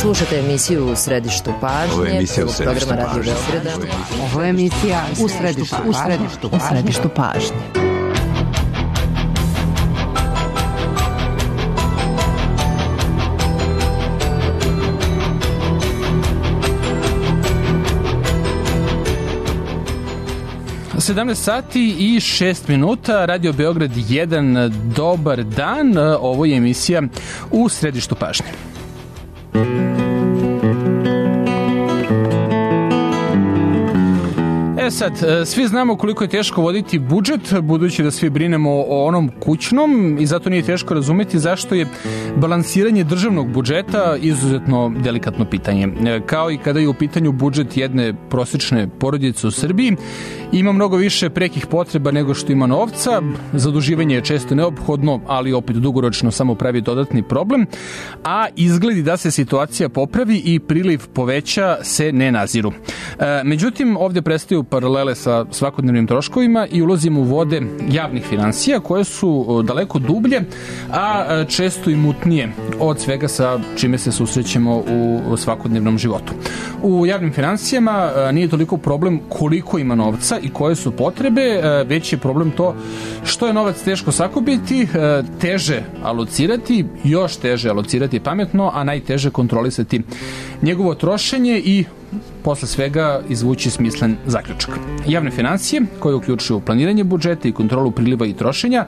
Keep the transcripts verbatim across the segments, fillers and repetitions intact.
Slušate emisiju U središtu pažnje. Ovo je emisija U središtu programa Radio pažnje. Beograda. Ovo je emisija U središtu, u središtu, u središtu pažnje. sedamnaest sati i šest minuta, Radio Beograd jedan, dobar dan, ovo je emisija U središtu pažnje. E sad, svi znamo koliko je teško voditi budžet, budući da svi brinemo o onom kućnom i zato nije teško razumeti zašto je balansiranje državnog budžeta izuzetno delikatno pitanje. Kao i kada je u pitanju budžet jedne prosječne porodice u Srbiji, ima mnogo više prekih potreba nego što ima novca, zaduživanje je često neophodno, ali opet dugoročno samo pravi dodatni problem, a izgledi da se situacija popravi i priliv poveća se ne naziru. E, međutim, ovde prestaju paralele sa svakodnevnim troškovima i ulazimo u vode javnih finansija koje su daleko dublje, a često i mutnije od svega sa čime se susrećemo u svakodnevnom životu. U javnim finansijama nije toliko problem koliko ima novca i koje su potrebe, već je problem to što je novac teško sakupiti, teže alocirati, još teže alocirati pametno, a najteže kontrolisati njegovo trošenje i posle svega izvući smislen zaključak. Javne financije, koje uključuju planiranje budžeta i kontrolu priliva i trošenja,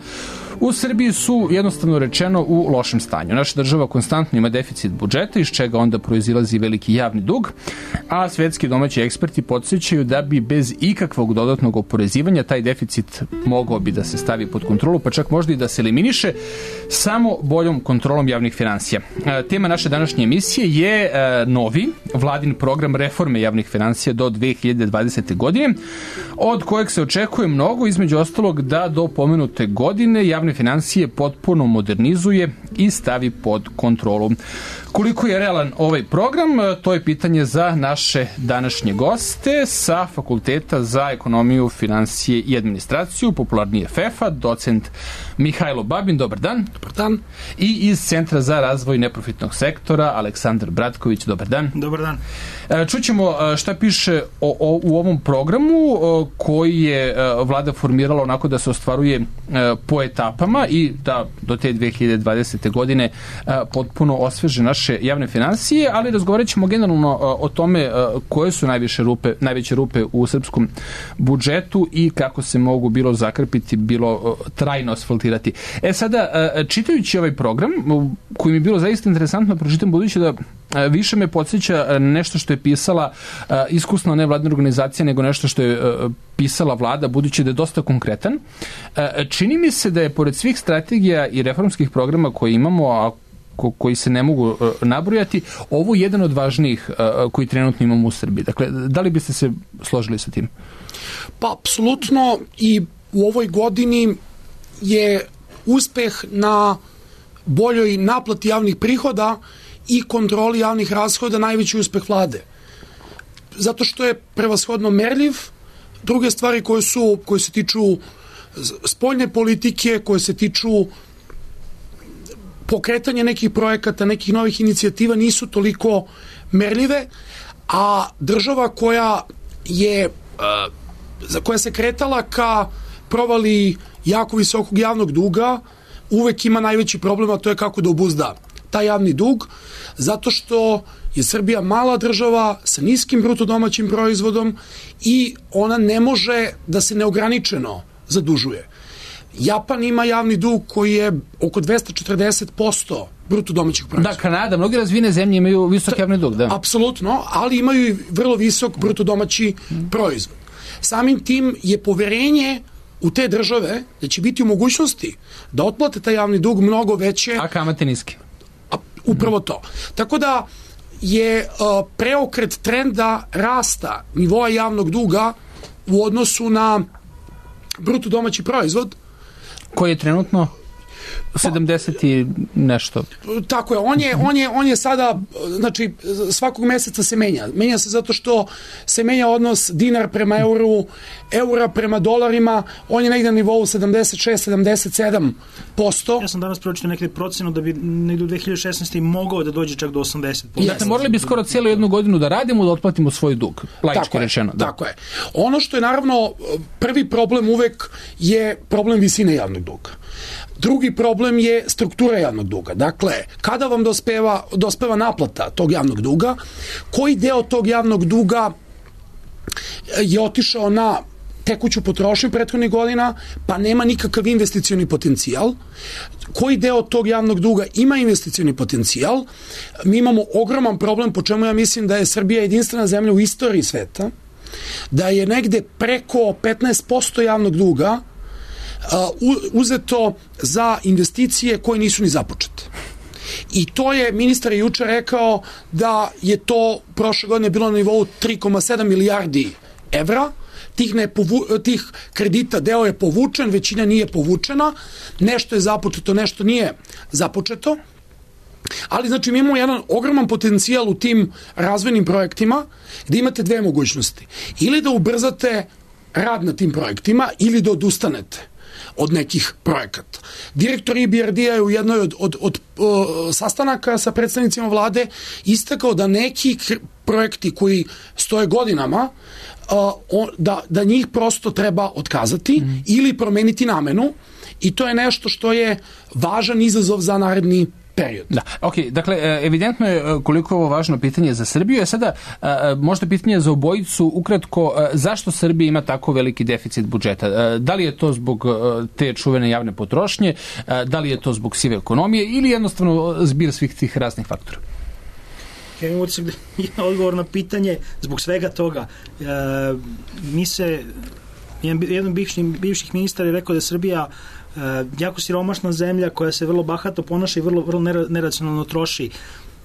u Srbiji su jednostavno rečeno u lošem stanju. Naša država konstantno ima deficit budžeta, iz čega onda proizilazi veliki javni dug, a svetski domaći eksperti podsjećaju da bi bez ikakvog dodatnog oporezivanja taj deficit mogao bi da se stavi pod kontrolu, pa čak možda i da se eliminiše samo boljom kontrolom javnih finansija. Tema naše današnje emisije je novi vladin program reforme javnih finansija do dve hiljade dvadesete. godine, od kojeg se očekuje mnogo, između ostalog da do pomenute godine javne financije potpuno modernizuje i stavi pod kontrolu. Koliko je realan ovaj program, to je pitanje za naše današnje goste sa Fakulteta za ekonomiju, finansije i administraciju, popularnije F E F A, docent Mihajlo Babin, dobar dan. Dobar dan. I iz Centra za razvoj neprofitnog sektora, Aleksandar Bratković, dobar dan. Dobar dan. Čućemo šta piše o, o, u ovom programu koji je vlada formirala onako da se ostvaruje po etapama i da do te dve hiljade dvadesete. godine potpuno osveže naše javne finansije, ali razgovarat ćemo generalno o tome koje su najviše rupe, najveće rupe u srpskom budžetu i kako se mogu bilo zakrpiti, bilo trajno asfaltirati. E sada, čitajući ovaj program, koji mi je bilo zaista interesantno pročitam, budući da više me podsjeća nešto što je pisala iskusna nevladna organizacija nego nešto što je pisala vlada, budući da je dosta konkretan. Čini mi se da je pored svih strategija i reformskih programa koje imamo, a koji se ne mogu nabrojati, ovo je jedan od važnijih koji trenutno imamo u Srbiji. Dakle, da li biste se složili sa tim? Pa, apsolutno, i u ovoj godini je uspeh na boljoj naplati javnih prihoda i kontroli javnih rashoda najveći uspeh vlade. Zato što je prevashodno merljiv. Druge stvari koje su, koje se tiču spoljne politike, koje se tiču pokretanja nekih projekata, nekih novih inicijativa nisu toliko merljive, a država koja je za koja se kretala ka provali jako visokog javnog duga, uvek ima najveći problem, a to je kako da obuzda taj javni dug, zato što je Srbija mala država sa niskim bruto domaćim proizvodom i ona ne može da se neograničeno zadužuje. Japan ima javni dug koji je oko dvesta četrdeset posto bruto domaćih proizvoda. Da, Kanada, mnoge razvijene zemlje imaju visok javni dug, da. Apsolutno, ali imaju i vrlo visok bruto domaći proizvod. Samim tim je poverenje u te države da će biti u mogućnosti da otplate taj javni dug mnogo veće. A kamate niske. A, upravo to. Tako da je uh, preokret trenda rasta nivoa javnog duga u odnosu na bruto domaći proizvod koji je trenutno sedamdeset i nešto. Tako je, on je, on je, on je sada, znači, svakog meseca se menja. Menja se zato što se menja odnos dinar prema euru, eura prema dolarima, on je negde na nivou sedamdeset šest sedamdeset sedam posto. Ja sam danas pročitao nekde procenu da bi negde u dve hiljade šesnaeste mogao da dođe čak do osamdeset posto. Dakle, morali bi skoro cijelu jednu godinu da radimo, da otplatimo svoj dug, laički rečeno. Da. Tako je. Ono što je naravno prvi problem uvek je problem visine javnog duga. Drugi problem je struktura javnog duga. Dakle, kada vam dospeva, dospeva naplata tog javnog duga, koji deo tog javnog duga je otišao na tekuću potrošnju prethodnih godina, pa nema nikakav investicioni potencijal. Koji deo tog javnog duga ima investicioni potencijal? Mi imamo ogroman problem, po čemu ja mislim da je Srbija jedinstvena zemlja u istoriji sveta, da je negde preko petnaest posto javnog duga uh, uzeto za investicije koje nisu ni započete. I to je, ministar je juče rekao da je to prošle godine bilo na nivou tri zarez sedam milijardi evra, tih, ne povu, tih kredita deo je povučen, većina nije povučena, nešto je započeto, nešto nije započeto, ali znači mi imamo jedan ogroman potencijal u tim razvojnim projektima gde imate dve mogućnosti. Ili da ubrzate rad na tim projektima ili da odustanete od nekih projekata. Direktor I B R D-a je u jednoj od, od, od, od sastanaka sa predstavnicima vlade istakao da neki projekti koji stoje godinama uh, da, da njih prosto treba otkazati mm. ili promeniti namenu i to je nešto što je važan izazov za naredni period. Da, ok, dakle, evidentno je koliko je ovo važno pitanje za Srbiju, je sada možda pitanje za obojicu, ukratko, zašto Srbija ima tako veliki deficit budžeta? Da li je to zbog te čuvene javne potrošnje, da li je to zbog sive ekonomije ili jednostavno zbir svih tih raznih faktora? Ja imam utisak da je odgovor na pitanje zbog svega toga. E, mi se, jedan, jedan bivši, bivših ministara je rekao da je Srbija Uh, jako siromašna zemlja koja se vrlo bahato ponaša i vrlo, vrlo neracionalno troši.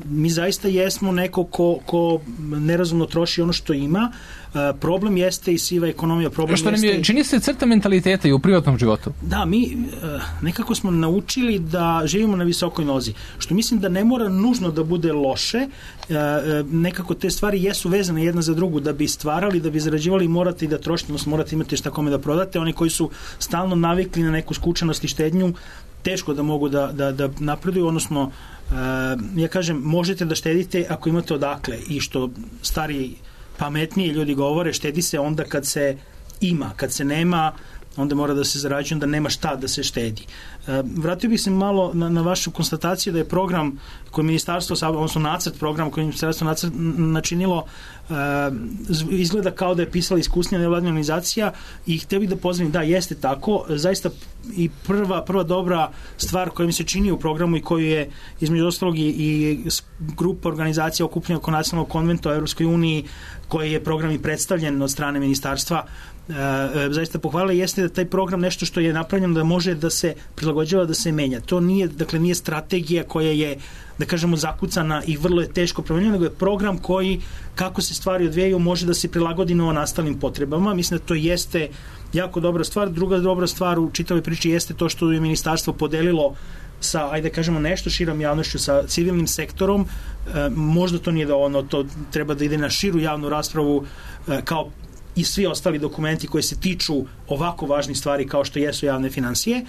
Mi zaista jesmo neko ko, ko nerazumno troši ono što ima. Uh, problem jeste i siva ekonomija. Problem što nam je, jeste... čini se crta mentaliteta i u privatnom životu. Da, mi uh, nekako smo naučili da živimo na visokoj nozi. Što mislim da ne mora nužno da bude loše. Uh, uh, nekako te stvari jesu vezane jedna za drugu. Da bi stvarali, da bi zarađivali, morate i da trošite, odnosno morate imati šta kome da prodate. Oni koji su stalno navikli na neku skučenost i štednju, teško da mogu da, da, da napreduju, odnosno Uh, ja kažem, možete da štedite ako imate odakle i što stariji pametniji ljudi govore, štedi se onda kad se ima, kad se nema onda mora da se zarađuje, onda nema šta da se štedi. Uh, vratio bih se malo na, na vašu konstataciju da je program koji ministarstvo, odnosno nacrt programa koji ministarstvo nacrt načinilo uh, izgleda kao da je pisala iskusnija nevladina organizacija i htio bih da pozdravim, da, jeste tako, zaista i prva, prva dobra stvar koja mi se čini u programu i koju je između ostalog i, i grupa organizacija okupljena oko nacionalnog konventa o Evropskoj uniji koji je program i predstavljen od strane ministarstva e, e, zaista pohvalila jeste da taj program nešto što je napravljeno da može da se prilagođava, da se menja. To nije, dakle, nije strategija koja je da kažemo zakucana i vrlo je teško promenjena, nego je program koji kako se stvari odvijaju može da se prilagodi novonastalim potrebama. Mislim da to jeste jako dobra stvar. Druga dobra stvar u čitavoj priči jeste to što je ministarstvo podelilo sa, ajde kažemo, nešto širom javnošću, sa civilnim sektorom. E, možda to nije dovoljno, to treba da ide na širu javnu raspravu e, kao i svi ostali dokumenti koji se tiču ovako važnih stvari kao što jesu javne finansije. E,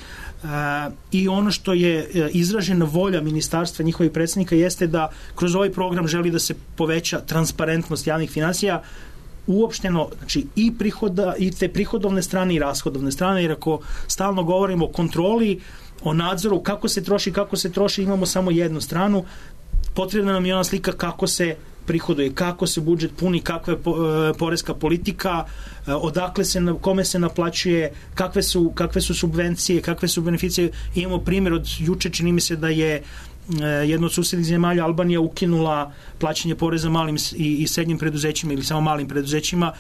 I ono što je e, izražena volja ministarstva, njihovih predsednika, jeste da kroz ovaj program želi da se poveća transparentnost javnih finansija, uopšteno, znači i prihoda, i te prihodovne strane i rashodovne strane, jer ako stalno govorimo o kontroli, o nadzoru, kako se troši, kako se troši, imamo samo jednu stranu, potrebna nam je ona slika kako se prihoduje, kako se budžet puni, kakva je poreska politika, odakle se, kome se naplaćuje, kakve su, kakve su subvencije, kakve su beneficije. Imamo primjer od juče, čini mi se da je jedno od susednih zemalja, Albanija, ukinula plaćanje poreza malim i, i srednjim preduzećima ili samo malim preduzećima.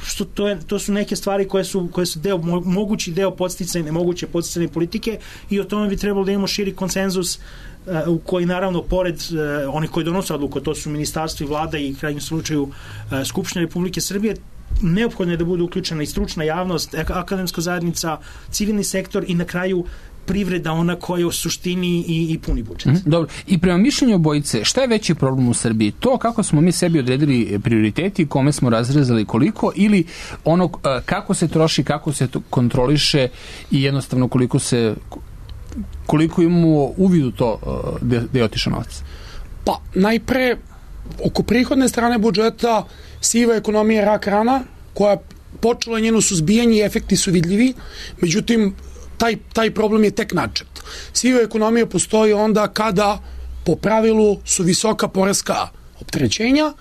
Što to, je, to su neke stvari koje su, koje su deo, mogući deo podsticajne, nemoguće podsticajne politike i o tome bi trebalo da imamo širi konsenzus uh, u koji naravno pored uh, onih koji donose odluku, to su ministarstvo i vlada i u krajnjem slučaju uh, Skupština Republike Srbije, neophodno je da bude uključena i stručna javnost, akademska zajednica, civilni sektor i na kraju privreda ona koja u suštini i, i puni budžet. Mm, dobro. I prema mišljenju obojice, šta je veći problem u Srbiji? To kako smo mi sebi odredili prioriteti, kome smo razrezali koliko, ili ono kako se troši, kako se kontroliše i jednostavno koliko se koliko imamo uvid u to gde, gde je otišao novac? Pa, najpre, oko prihodne strane budžeta siva ekonomija je rak rana, koja počela njeno suzbijanje i efekti su vidljivi, međutim, taj, taj problem je tek načet. Siva ekonomija postoji onda kada po pravilu su visoka poreska opterećenja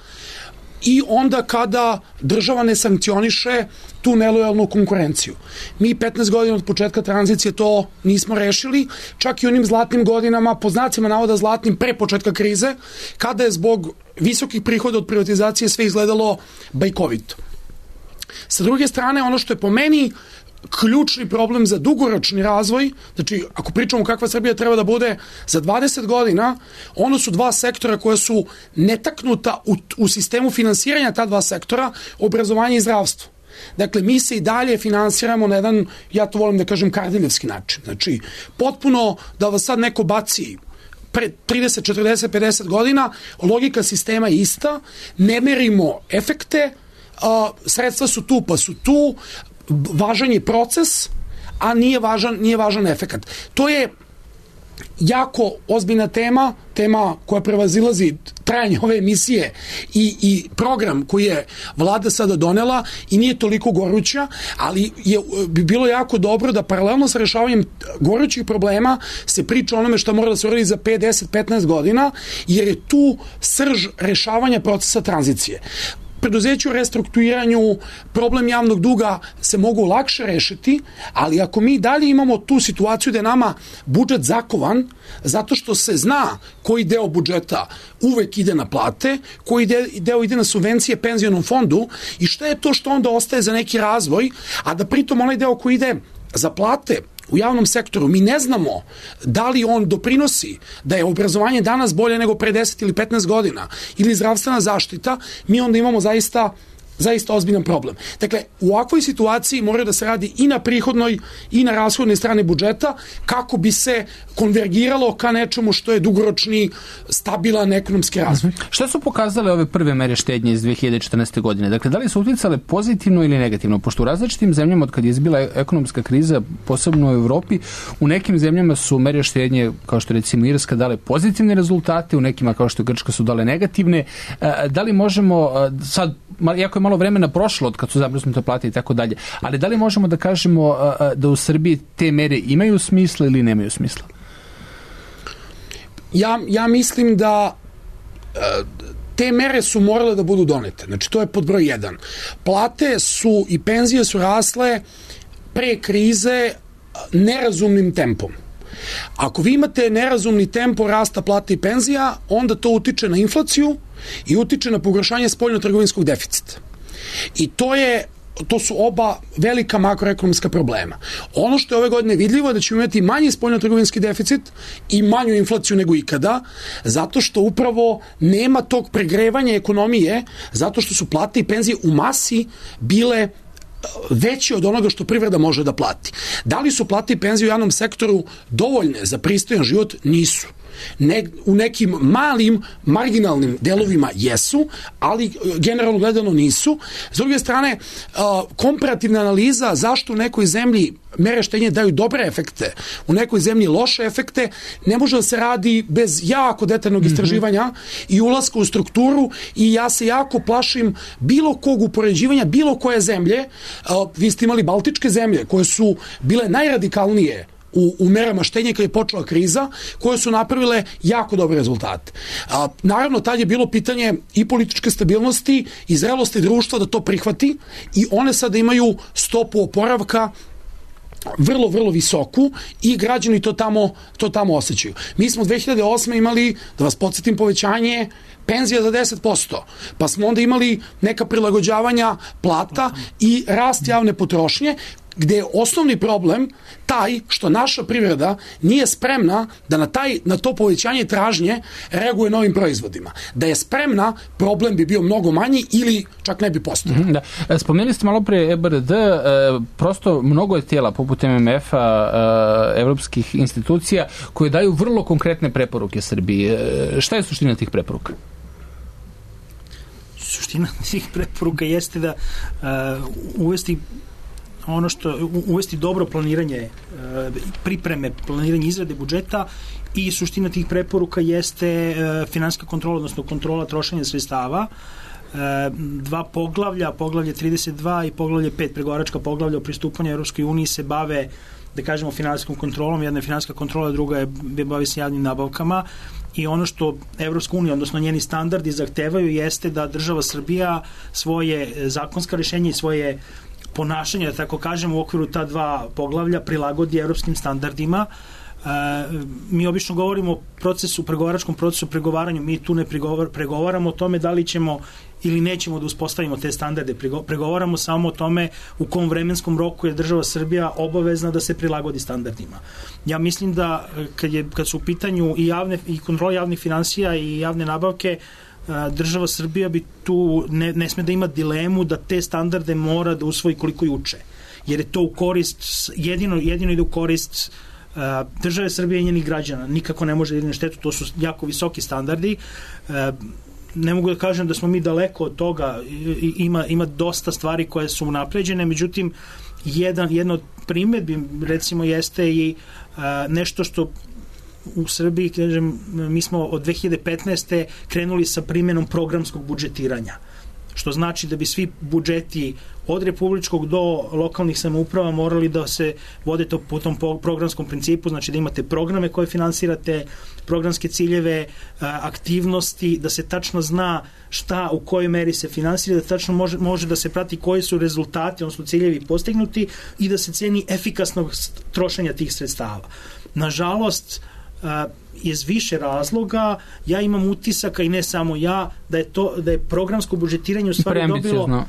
i onda kada država ne sankcioniše tu nelojalnu konkurenciju. Mi petnaest godina od početka tranzicije to nismo rešili, čak i onim zlatnim godinama, po znacima navoda zlatnim, pre početka krize, kada je zbog visokih prihoda od privatizacije sve izgledalo bajkovito. Sa druge strane, ono što je po meni ključni problem za dugoročni razvoj, znači ako pričamo kakva Srbija treba da bude za dvadeset godina, ono su dva sektora koja su netaknuta u, u sistemu finansiranja ta dva sektora, obrazovanje i zdravstvo. Dakle, mi se i dalje finansiramo na jedan, ja to volim da kažem, kardiljevski način. Znači, potpuno da vas sad neko baci pre trideset, četrdeset, pedeset godina, logika sistema je ista, ne merimo efekte, a, sredstva su tu pa su tu, važan je proces, a nije važan, nije važan efekat. To je jako ozbiljna tema, tema koja prevazilazi trajanje ove emisije i, i program koji je vlada sada donela i nije toliko goruća, ali je, bi bilo jako dobro da paralelno sa rešavanjem gorućih problema se priča o onome što mora da se uradi za pet, deset, petnaest godina, jer je tu srž rešavanja procesa tranzicije. Preduzeću u restrukturiranju, problem javnog duga se mogu lakše rešiti, ali ako mi dalje imamo tu situaciju da je nama budžet zakovan, zato što se zna koji deo budžeta uvek ide na plate, koji deo ide na subvencije penzionom fondu i šta je to što onda ostaje za neki razvoj, a da pritom onaj deo koji ide za plate u javnom sektoru, mi ne znamo da li on doprinosi da je obrazovanje danas bolje nego pre deset ili petnaest godina ili zdravstvena zaštita, mi onda imamo zaista zaista ozbiljan problem. Dakle, u ovakvoj situaciji mora da se radi i na prihodnoj i na rashodnoj strani budžeta kako bi se konvergiralo ka nečemu što je dugoročni, stabilan ekonomski razvoj. Šta su pokazale ove prve mere štednje iz dve hiljade četrnaeste. godine? Dakle, da li su uticale pozitivno ili negativno? Pošto u različitim zemljama od kad je izbila ekonomska kriza, posebno u Evropi, u nekim zemljama su mere štednje, kao što recimo Irska, dale pozitivne rezultate, u nekima kao što je Grčka su dale negativne. Da li možemo sad, jako je malo vremena prošlo od kad su zamrznute plate i tako dalje, ali da li možemo da kažemo da u Srbiji te mere imaju smisla ili nemaju smisla? Ja, ja mislim da te mere su morale da budu donete. Znači, to je pod broj jedan. Plate su i penzije su rasle pre krize nerazumnim tempom. Ako vi imate nerazumni tempo rasta plata i penzija, onda to utiče na inflaciju i utiče na pogoršanje spoljno-trgovinskog deficita. I to je to su oba velika makroekonomska problema. Ono što je ove godine vidljivo je da ćemo imati manji spoljno-trgovinski deficit i manju inflaciju nego ikada, zato što upravo nema tog pregrevanja ekonomije, zato što su plate i penzije u masi bile veće od onoga što privreda može da plati. Da li su plate i penzije u javnom sektoru dovoljne za pristojan život? Nisu. Ne, u nekim malim, marginalnim delovima jesu, ali generalno gledano nisu. S druge strane, komparativna analiza zašto u nekoj zemlji mere štednje daju dobre efekte, u nekoj zemlji loše efekte, ne može da se radi bez jako detaljnog istraživanja mm-hmm. i ulaska u strukturu i ja se jako plašim bilo kog upoređivanja, bilo koje zemlje. Vi ste imali baltičke zemlje koje su bile najradikalnije U, u merama štednje kad je počela kriza, koje su napravile jako dobre rezultate. A, naravno, tad je bilo pitanje i političke stabilnosti i zrelosti društva da to prihvati i one sada imaju stopu oporavka vrlo, vrlo visoku i građani to tamo, to tamo osjećaju. Mi smo dve hiljade osme imali, da vas podsjetim, povećanje penzija za deset posto, pa smo onda imali neka prilagođavanja plata i rast javne potrošnje gde je osnovni problem taj što naša privreda nije spremna da na, taj, na to povećanje tražnje reaguje novim proizvodima. Da je spremna, problem bi bio mnogo manji ili čak ne bi postojao. Da. Spomenuli ste malo pre E B R D, prosto mnogo je tijela poput M M F-a, evropskih institucija koje daju vrlo konkretne preporuke Srbiji. Šta je suština tih preporuka? Suština tih preporuka jeste da uh, uvesti ono što, uvesti dobro planiranje, uh, pripreme, planiranje izrade budžeta i suština tih preporuka jeste uh, finansijska kontrola, odnosno kontrola trošenja sredstava. Uh, dva poglavlja, poglavlje trideset dva i poglavlje pet, pregovaračka poglavlja o pristupanju Evropskoj uniji se bave, da kažemo, finansijskom kontrolom. Jedna je finansijska kontrola, druga je bavi se javnim nabavkama. I ono što Evropska unija, odnosno njeni standardi zahtevaju jeste da država Srbija svoje zakonska rješenja i svoje ponašanje, da tako kažem, u okviru ta dva poglavlja prilagodi evropskim standardima. E, mi obično govorimo o procesu, pregovaračkom procesu pregovaranju, mi tu ne pregovar, pregovaramo o tome da li ćemo ili nećemo da uspostavimo te standarde, pregovaramo samo o tome u kom vremenskom roku je država Srbija obavezna da se prilagodi standardima. Ja mislim da kad, je, kad su u pitanju i, javne, i kontrola javnih finansija i javne nabavke, država Srbija bi tu ne, ne sme da ima dilemu da te standarde mora da usvoji koliko i uče. Jer je to u korist, jedino, jedino ide u korist države Srbije i njenih građana. Nikako ne može da ide na štetu, to su jako visoki standardi. Ne mogu da kažem da smo mi daleko od toga, ima, ima dosta stvari koje su unapređene, međutim jedan, jedna od primjedbi recimo jeste i a, nešto što u Srbiji, kažem, mi smo od dve hiljade petnaeste krenuli sa primjenom programskog budžetiranja, što znači da bi svi budžeti od republičkog do lokalnih samouprava morali da se vode to po tom programskom principu, znači da imate programe koje finansirate, programske ciljeve, aktivnosti, da se tačno zna šta u kojoj meri se finansira, da tačno može, može da se prati koji su rezultati, odnosno ciljevi postignuti i da se ceni efikasnost trošenja tih sredstava. Nažalost, iz više razloga, ja imam utisaka i ne samo ja, da je to da je programsko budžetiranje u stvari dobilo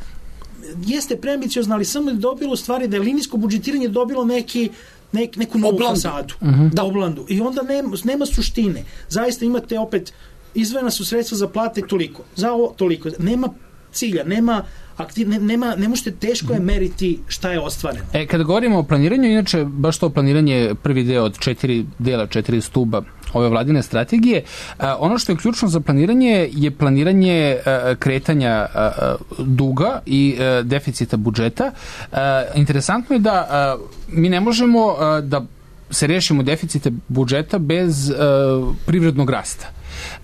jeste preambiciozno, ali samo je dobilo u stvari da je linijsko budžetiranje dobilo neki nek, neku novu fasadu. Uh-huh. Da, oblandu. I onda nema, nema suštine. Zaista imate opet izdvojena su sredstva za plate toliko, za ovo toliko. Nema cilja, nema aktiv, ne, nema, ne možete, teško je meriti šta je ostvareno. E, kada govorimo o planiranju, inače, baš to planiranje prvi deo od četiri dela, četiri stuba ove vladine strategije, a, ono što je ključno za planiranje je planiranje a, kretanja a, duga i a, deficita budžeta. A, interesantno je da a, mi ne možemo a, da se rešimo deficite budžeta bez a, privrednog rasta.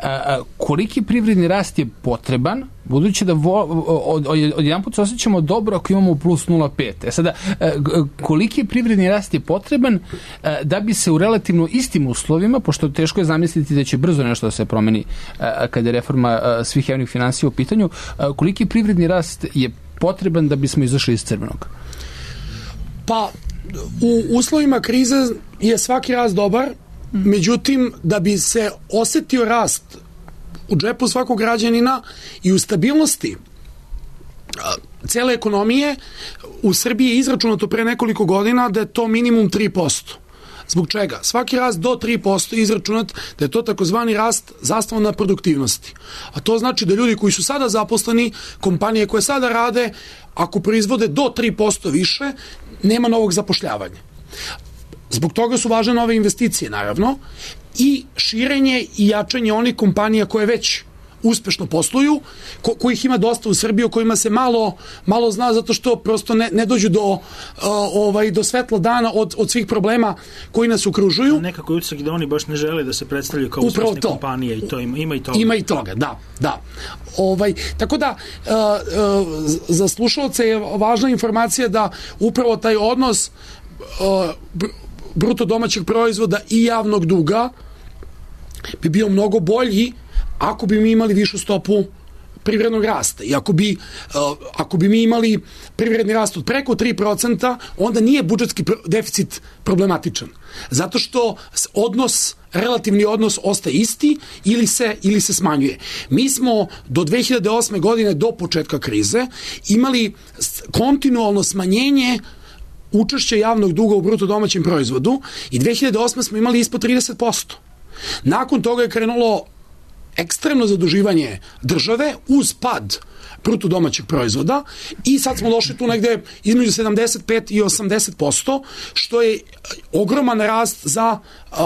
A, koliki privredni rast je potreban, budući da vo, od, od, od jedan put se osjećamo dobro ako imamo plus nula zarez pet. E sada, koliki privredni rast je potreban da bi se u relativno istim uslovima, pošto teško je zamisliti da će brzo nešto da se promeni kada je reforma svih javnih finansija u pitanju, koliki privredni rast je potreban da bismo izašli iz crvenog? Pa, u uslovima krize je svaki rast dobar. Međutim, da bi se osetio rast u džepu svakog građanina i u stabilnosti cele ekonomije, u Srbiji je izračunato pre nekoliko godina da je to minimum tri posto. Zbog čega? Svaki rast do tri posto je izračunat da je to takozvani rast zasnovan na produktivnosti. A to znači da ljudi koji su sada zaposleni, kompanije koje sada rade, ako proizvode do tri posto više, nema novog zapošljavanja. Zbog toga su važne nove investicije, naravno, i širenje i jačanje onih kompanija koje već uspešno posluju, ko, kojih ima dosta u Srbiji, o kojima se malo, malo zna, zato što prosto ne, ne dođu do, uh, ovaj, do svetla dana od, od svih problema koji nas okružuju. Nekako je utisak da oni baš ne žele da se predstavljaju kao uspešne kompanije, i to ima, ima i toga. Ima i toga, da, da. Ovaj, tako da, uh, uh, za slušalce je važna informacija da upravo taj odnos uh, bruto domaćeg proizvoda i javnog duga bi bio mnogo bolji ako bi mi imali višu stopu privrednog rasta. I ako bi, uh, ako bi mi imali privredni rast od preko tri procenta, onda nije budžetski deficit problematičan. Zato što odnos, relativni odnos ostaje isti ili se, ili se smanjuje. Mi smo do dve hiljade osme godine, do početka krize, imali kontinualno smanjenje učešće javnog duga u bruto domaćem proizvodu i dve hiljade osme smo imali ispod trideset posto. Nakon toga je krenulo ekstremno zaduživanje države uz pad bruto domaćeg proizvoda i sad smo došli tu negde između sedamdeset pet i osamdeset posto, što je ogroman rast za uh,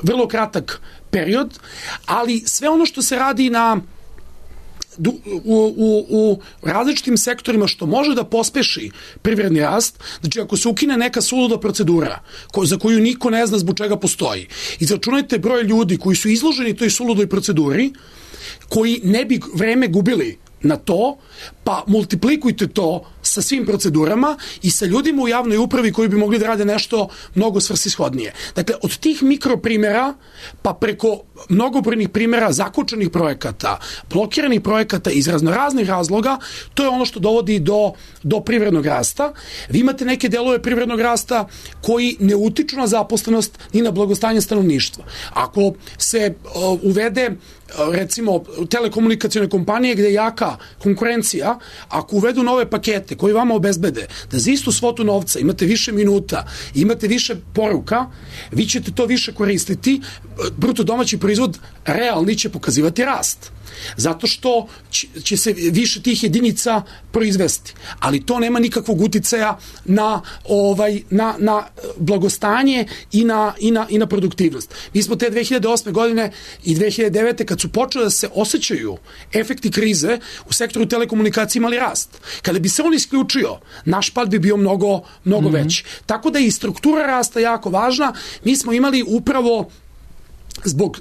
vrlo kratak period, ali sve ono što se radi na U, u, u različitim sektorima što može da pospeši privredni rast, znači ako se ukine neka suluda procedura ko, za koju niko ne zna zbog čega postoji, izračunajte broj ljudi koji su izloženi toj suludoj proceduri, koji ne bi vreme gubili na to, pa multiplikujte to sa svim procedurama i sa ljudima u javnoj upravi koji bi mogli da rade nešto mnogo svrsishodnije. Dakle, od tih mikroprimera pa preko mnogobrojnih primera zakočenih projekata, blokiranih projekata iz raznoraznih razloga, to je ono što dovodi do, do privrednog rasta. Vi imate neke delove privrednog rasta koji ne utiču na zaposlenost ni na blagostanje stanovništva. Ako se uh, uvede recimo telekomunikacione kompanije gde je jaka konkurencija, ako uvedu nove pakete koji vama obezbede da za istu svotu novca imate više minuta, imate više poruka, vi ćete to više koristiti, bruto domaći proizvod realni će pokazivati rast. Zato što će se više tih jedinica proizvesti. Ali to nema nikakvog uticaja na, ovaj, na, na blagostanje i na, i, na, i na produktivnost. Mi smo te dve hiljade osme godine i dve hiljade devete kad su počeli da se osjećaju efekti krize u sektoru telekomunikacije imali rast. Kada bi se on isključio, naš pad bi bio mnogo, mnogo mm-hmm. veći. Tako da je i struktura rasta jako važna. Mi smo imali upravo zbog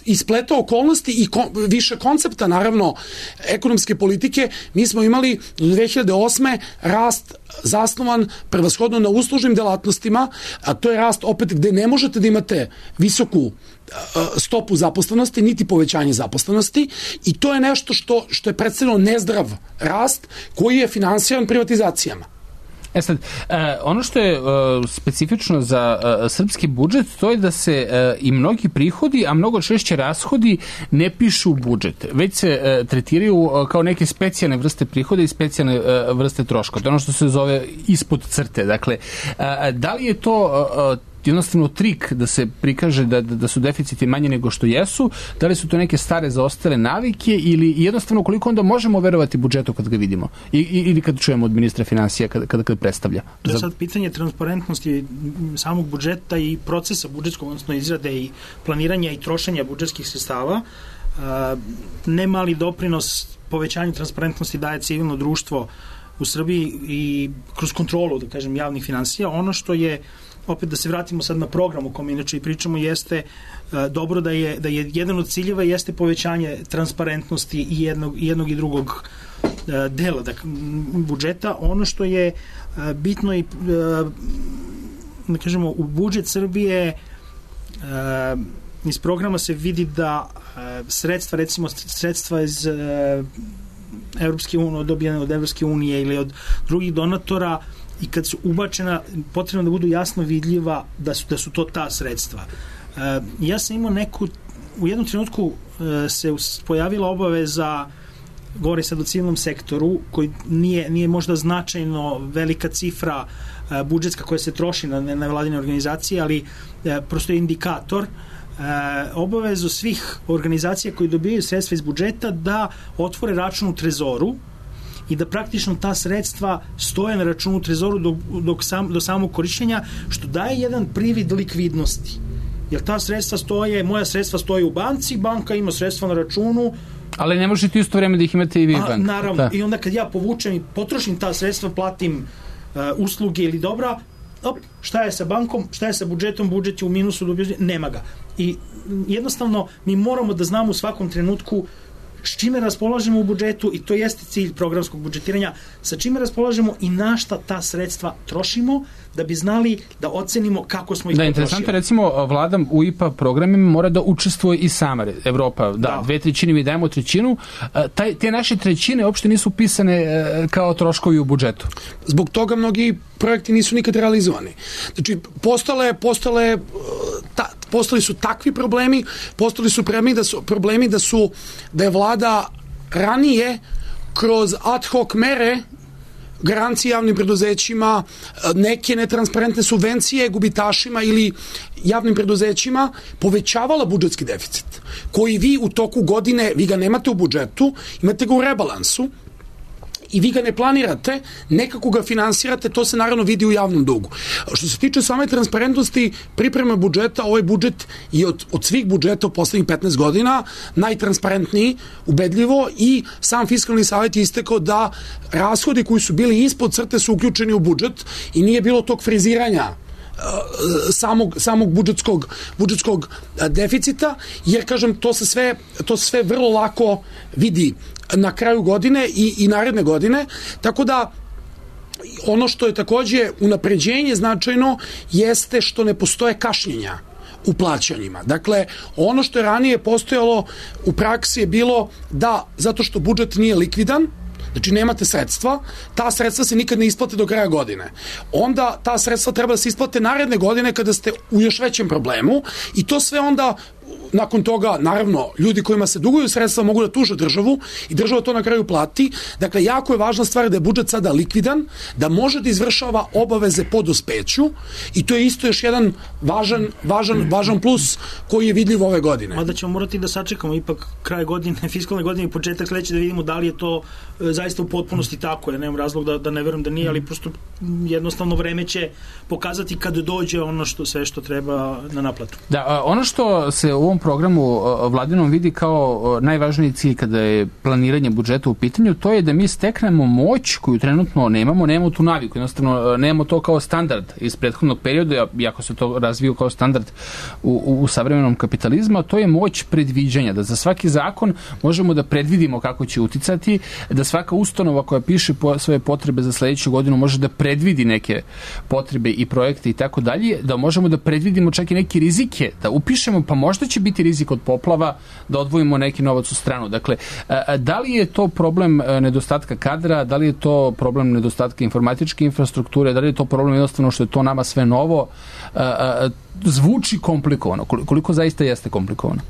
ispleta okolnosti i kon, više koncepta, naravno, ekonomske politike, mi smo imali do dve hiljade osme rast zasnovan prevashodno na uslužnim delatnostima, a to je rast opet gde ne možete da imate visoku stopu zaposlenosti, niti povećanje zaposlenosti i to je nešto što, što je predstavljeno nezdrav rast koji je finansiran privatizacijama. E sad, e, ono što je e, specifično za e, srpski budžet, to je da se e, i mnogi prihodi, a mnogo češće rashodi ne pišu u budžet, već se e, tretiraju e, kao neke specijalne vrste prihoda i specijalne e, vrste troška. To je ono što se zove ispod crte. Dakle, e, da li je to e, jednostavno trik da se prikaže da, da su deficiti manje nego što jesu, da li su to neke stare zaostale navike ili jednostavno koliko onda možemo verovati budžetu kad ga vidimo I, ili kad čujemo od ministra finansija kad, kad, kad predstavlja? To je sad pitanje transparentnosti samog budžeta i procesa budžetskog, odnosno izrade i planiranja i trošenja budžetskih sredstava. Ne mali doprinos povećanju transparentnosti daje civilno društvo u Srbiji i kroz kontrolu, da kažem, javnih finansija. Ono što je, opet da se vratimo sad na program o kom inače i pričamo, jeste uh, dobro da je, da je jedan od ciljeva jeste povećanje transparentnosti i jednog i, jednog i drugog uh, dela dakle, budžeta. Ono što je uh, bitno i uh, da kažemo, u budžet Srbije uh, iz programa se vidi da uh, sredstva, recimo sredstva iz uh, Evropske unije, dobijene od Evropske unije ili od drugih donatora, i kad su ubačena, potrebno da budu jasno vidljiva da su, da su to ta sredstva. Uh, ja sam imao neku, u jednom trenutku uh, se pojavila obaveza, govori sad o civilnom sektoru, koji nije, nije možda značajno velika cifra uh, budžetska koja se troši na, na vladine organizacije, ali uh, prosto je indikator uh, obavezu svih organizacija koji dobijaju sredstva iz budžeta da otvore račun u trezoru i da praktično ta sredstva stoje na računu u trezoru dok, dok sam, do samog korišćenja, što daje jedan privid likvidnosti. Jer ta sredstva stoje, moja sredstva stoje u banci, banka ima sredstva na računu. Ali ne možete isto vreme da ih imate i vi van. Naravno, da. I onda kad ja povučem i potrošim ta sredstva, platim uh, usluge ili dobra, op, šta je sa bankom, šta je sa budžetom, budžet je u minusu, nema ga. I jednostavno mi moramo da znamo u svakom trenutku s čime raspolažemo u budžetu, i to jeste cilj programskog budžetiranja, sa čime raspolažemo i na šta ta sredstva trošimo, da bi znali da ocenimo kako smo ih da, potrošili. Da, interesantno, recimo, vlada u I P A programima mora da učestvuje i sama. Evropa, da, da. dve trećine, mi dajemo trećinu. Taj, te naše trećine uopšte nisu pisane kao troškovi u budžetu. Zbog toga mnogi projekti nisu nikad realizovani. Znači, postale, postale, ta, postali su takvi problemi, postali su problemi da su, problemi da su, da je vlada ranije kroz ad hoc mere garancije javnim preduzećima, neke netransparentne subvencije gubitašima ili javnim preduzećima povećavala budžetski deficit, koji vi u toku godine, vi ga nemate u budžetu, imate ga u rebalansu, i vi ga ne planirate, nekako ga finansirate, to se naravno vidi u javnom dugu. Što se tiče same transparentnosti pripreme budžeta, ovaj budžet je od, od svih budžeta u poslednjih petnaest godina najtransparentniji, ubedljivo, i sam Fiskalni savet je istekao da rashodi koji su bili ispod crte su uključeni u budžet i nije bilo tog friziranja samog, samog budžetskog, budžetskog deficita, jer, kažem, to se sve, to se sve vrlo lako vidi na kraju godine i, i naredne godine, tako da ono što je takođe unapređenje značajno jeste što ne postoje kašnjenja u plaćanjima. Dakle, ono što je ranije postojalo u praksi je bilo da, zato što budžet nije likvidan, znači nemate sredstva, ta sredstva se nikad ne isplate do kraja godine. Onda ta sredstva treba da se isplate naredne godine kada ste u još većem problemu i to sve onda nakon toga, naravno, ljudi kojima se duguju sredstva mogu da tuže državu i država to na kraju plati. Dakle, jako je važna stvar da je budžet sada likvidan, da može da izvršava obaveze po dospeću i to je isto još jedan važan, važan, važan plus koji je vidljiv ove godine. Mada ćemo morati da sačekamo ipak kraj godine, fiskalne godine i početak sledeće da vidimo da li je to e, zaista u potpunosti tako. Ja nemam razlog da, da ne verujem da nije, ali prosto jednostavno vreme će pokazati kad dođe ono što sve što treba na naplatu. Da, ono što se u ovom programu Vladinom vidi kao najvažniji cilj kada je planiranje budžeta u pitanju, to je da mi steknemo moć koju trenutno nemamo, nemamo tu naviku, jednostavno nemamo to kao standard iz prethodnog perioda, iako se to razvio kao standard u, u, u savremenom kapitalizmu, to je moć predviđanja, da za svaki zakon možemo da predvidimo kako će uticati, da svaka ustanova koja piše po svoje potrebe za sledeću godinu može da predvidi neke potrebe i projekte i tako dalje, da možemo da predvidimo čak i neke rizike, da upišemo, pa možda će biti rizik od poplava, da odvojimo neki novac u stranu. Dakle, da li je to problem nedostatka kadra, da li je to problem nedostatka informatičke infrastrukture, da li je to problem jednostavno što je to nama sve novo, zvuči komplikovano. Koliko zaista jeste komplikovano?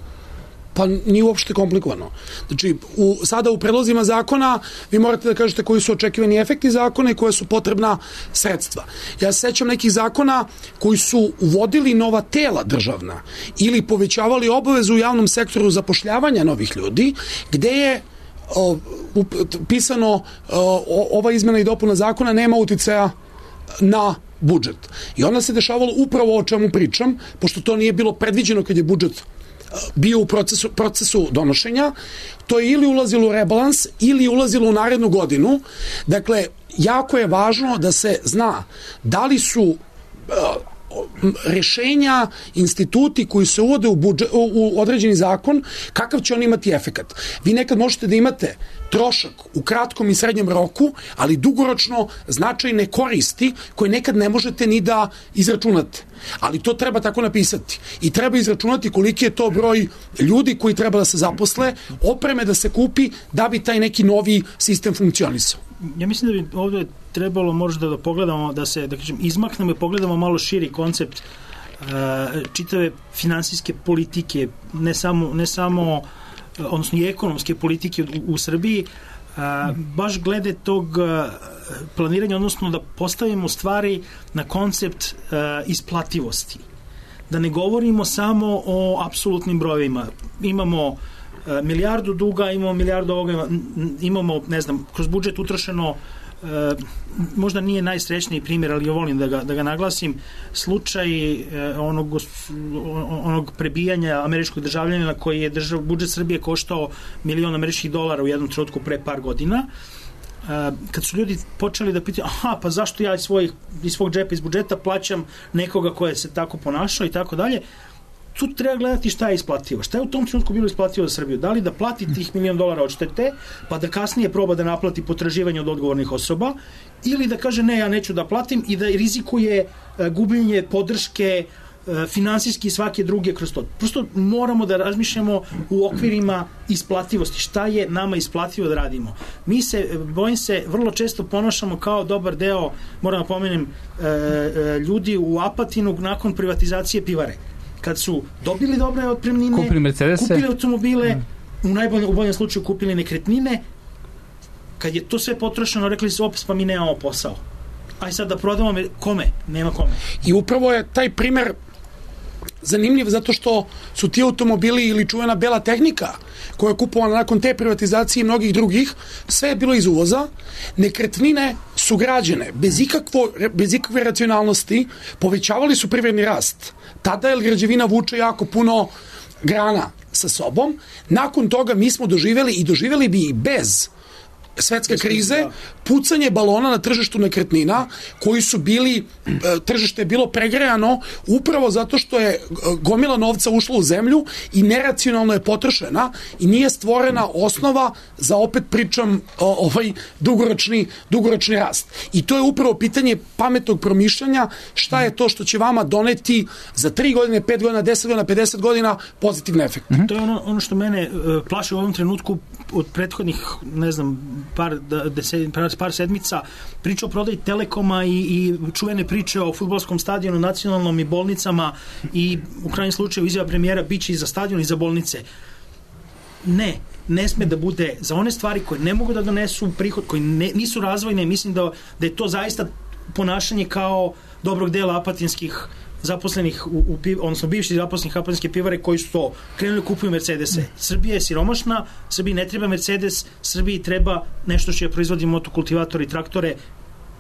Pa nije uopšte komplikovano. Znači, u, sada u predlozima zakona vi morate da kažete koji su očekivani efekti zakona i koje su potrebna sredstva. Ja se sećam nekih zakona koji su uvodili nova tela državna ili povećavali obavezu u javnom sektoru zapošljavanja novih ljudi, gde je o, up, pisano o, ova izmena i dopuna zakona nema uticaja na budžet. I onda se dešavalo upravo o čemu pričam, pošto to nije bilo predviđeno kad je budžet bio u procesu, procesu donošenja, to je ili ulazilo u rebalans ili ulazilo u narednu godinu. Dakle, jako je važno da se zna da li su uh, rešenja, instituti koji se uvode u, budžet, u određeni zakon, kakav će on imati efekat. Vi nekad možete da imate trošak u kratkom i srednjem roku, ali dugoročno značajne koristi koje nekad ne možete ni da izračunate. Ali to treba tako napisati. I treba izračunati koliki je to broj ljudi koji treba da se zaposle, opreme da se kupi da bi taj neki novi sistem funkcionisao. Ja mislim da bi ovdje trebalo možda da pogledamo, da se, da kažem, izmaknemo i pogledamo malo širi koncept uh, čitave finansijske politike, ne samo, ne samo odnosno i ekonomske politike u, u Srbiji, a, baš glede tog a, planiranja, odnosno da postavimo stvari na koncept a, isplativosti. Da ne govorimo samo o apsolutnim brojevima. Imamo a, milijardu duga, imamo milijardu ovoga, imamo, ne znam, kroz budžet utrošeno, E, možda nije najsrećniji primjer, ali ja volim da ga, da ga naglasim, slučaj e, onog, onog prebijanja američkog državljanina koji je držav, budžet Srbije koštao milion američkih dolara u jednom trenutku pre par godina. E, kad su ljudi počeli da pitaju, aha, pa zašto ja iz, svojih, iz svog džepa, iz budžeta plaćam nekoga koje se tako ponašao i tako dalje, tu treba gledati šta je isplativo. Šta je u tom trenutku bilo isplativo za Srbiju? Da li da plati tih milion dolara odštete, pa da kasnije proba da naplati potraživanje od odgovornih osoba, ili da kaže ne, ja neću da platim i da rizikuje gubljenje podrške finansijski i svake druge kroz to. Prosto moramo da razmišljamo u okvirima isplativosti. Šta je nama isplativo da radimo? Mi se, bojim se, vrlo često ponašamo kao dobar deo, moram da pomenem, ljudi u Apatinu nakon privatizacije pivare. Kad su dobili dobre otpremnine, kupili, kupili automobile, mm. u najboljem u boljem slučaju kupili nekretnine, Kad je to sve potrošeno, rekli su, opet pa mi nemamo posao. Aj sad da prodamo, kome? Nema kome. I upravo je taj primer zanimljiv zato što su ti automobili ili čuvena bela tehnika koja je kupovana nakon te privatizacije i mnogih drugih, sve je bilo iz uvoza. Nekretnine su građene bez, ikakvo, bez ikakve racionalnosti, povećavali su privredni rast. Tada je građevina vuče jako puno grana sa sobom. Nakon toga mi smo doživjeli i doživjeli bi i bez svetske krize, pucanje balona na tržištu nekretnina koji su bili, tržište je bilo pregrejano upravo zato što je gomila novca ušla u zemlju i neracionalno je potrošena i nije stvorena osnova za, opet pričam, ovaj dugoročni, dugoročni rast. I to je upravo pitanje pametnog promišljanja, šta je to što će vama doneti za tri godine, pet godina, deset godina, pedeset godina pozitivne efekte. Mm-hmm. To je ono, ono što mene uh, plaši u ovom trenutku od prethodnih, ne znam, par, deset, par, par sedmica, priča o prodaji Telekoma i, i čuvene priče o fudbalskom stadionu, nacionalnom i bolnicama i u krajnjem slučaju izjava premijera biće i za stadion i za bolnice. Ne, ne sme da bude za one stvari koje ne mogu da donesu prihod, koje ne, nisu razvojne. Mislim da, da je to zaista ponašanje kao dobrog dela apatinskih zaposlenih, u, u, odnosno bivših zaposlenih apatinske pivare koji su to krenuli kupuju Mercedese. Srbija je siromašna, Srbiji ne treba Mercedes, Srbiji treba nešto što je proizvodi motokultivatori, traktore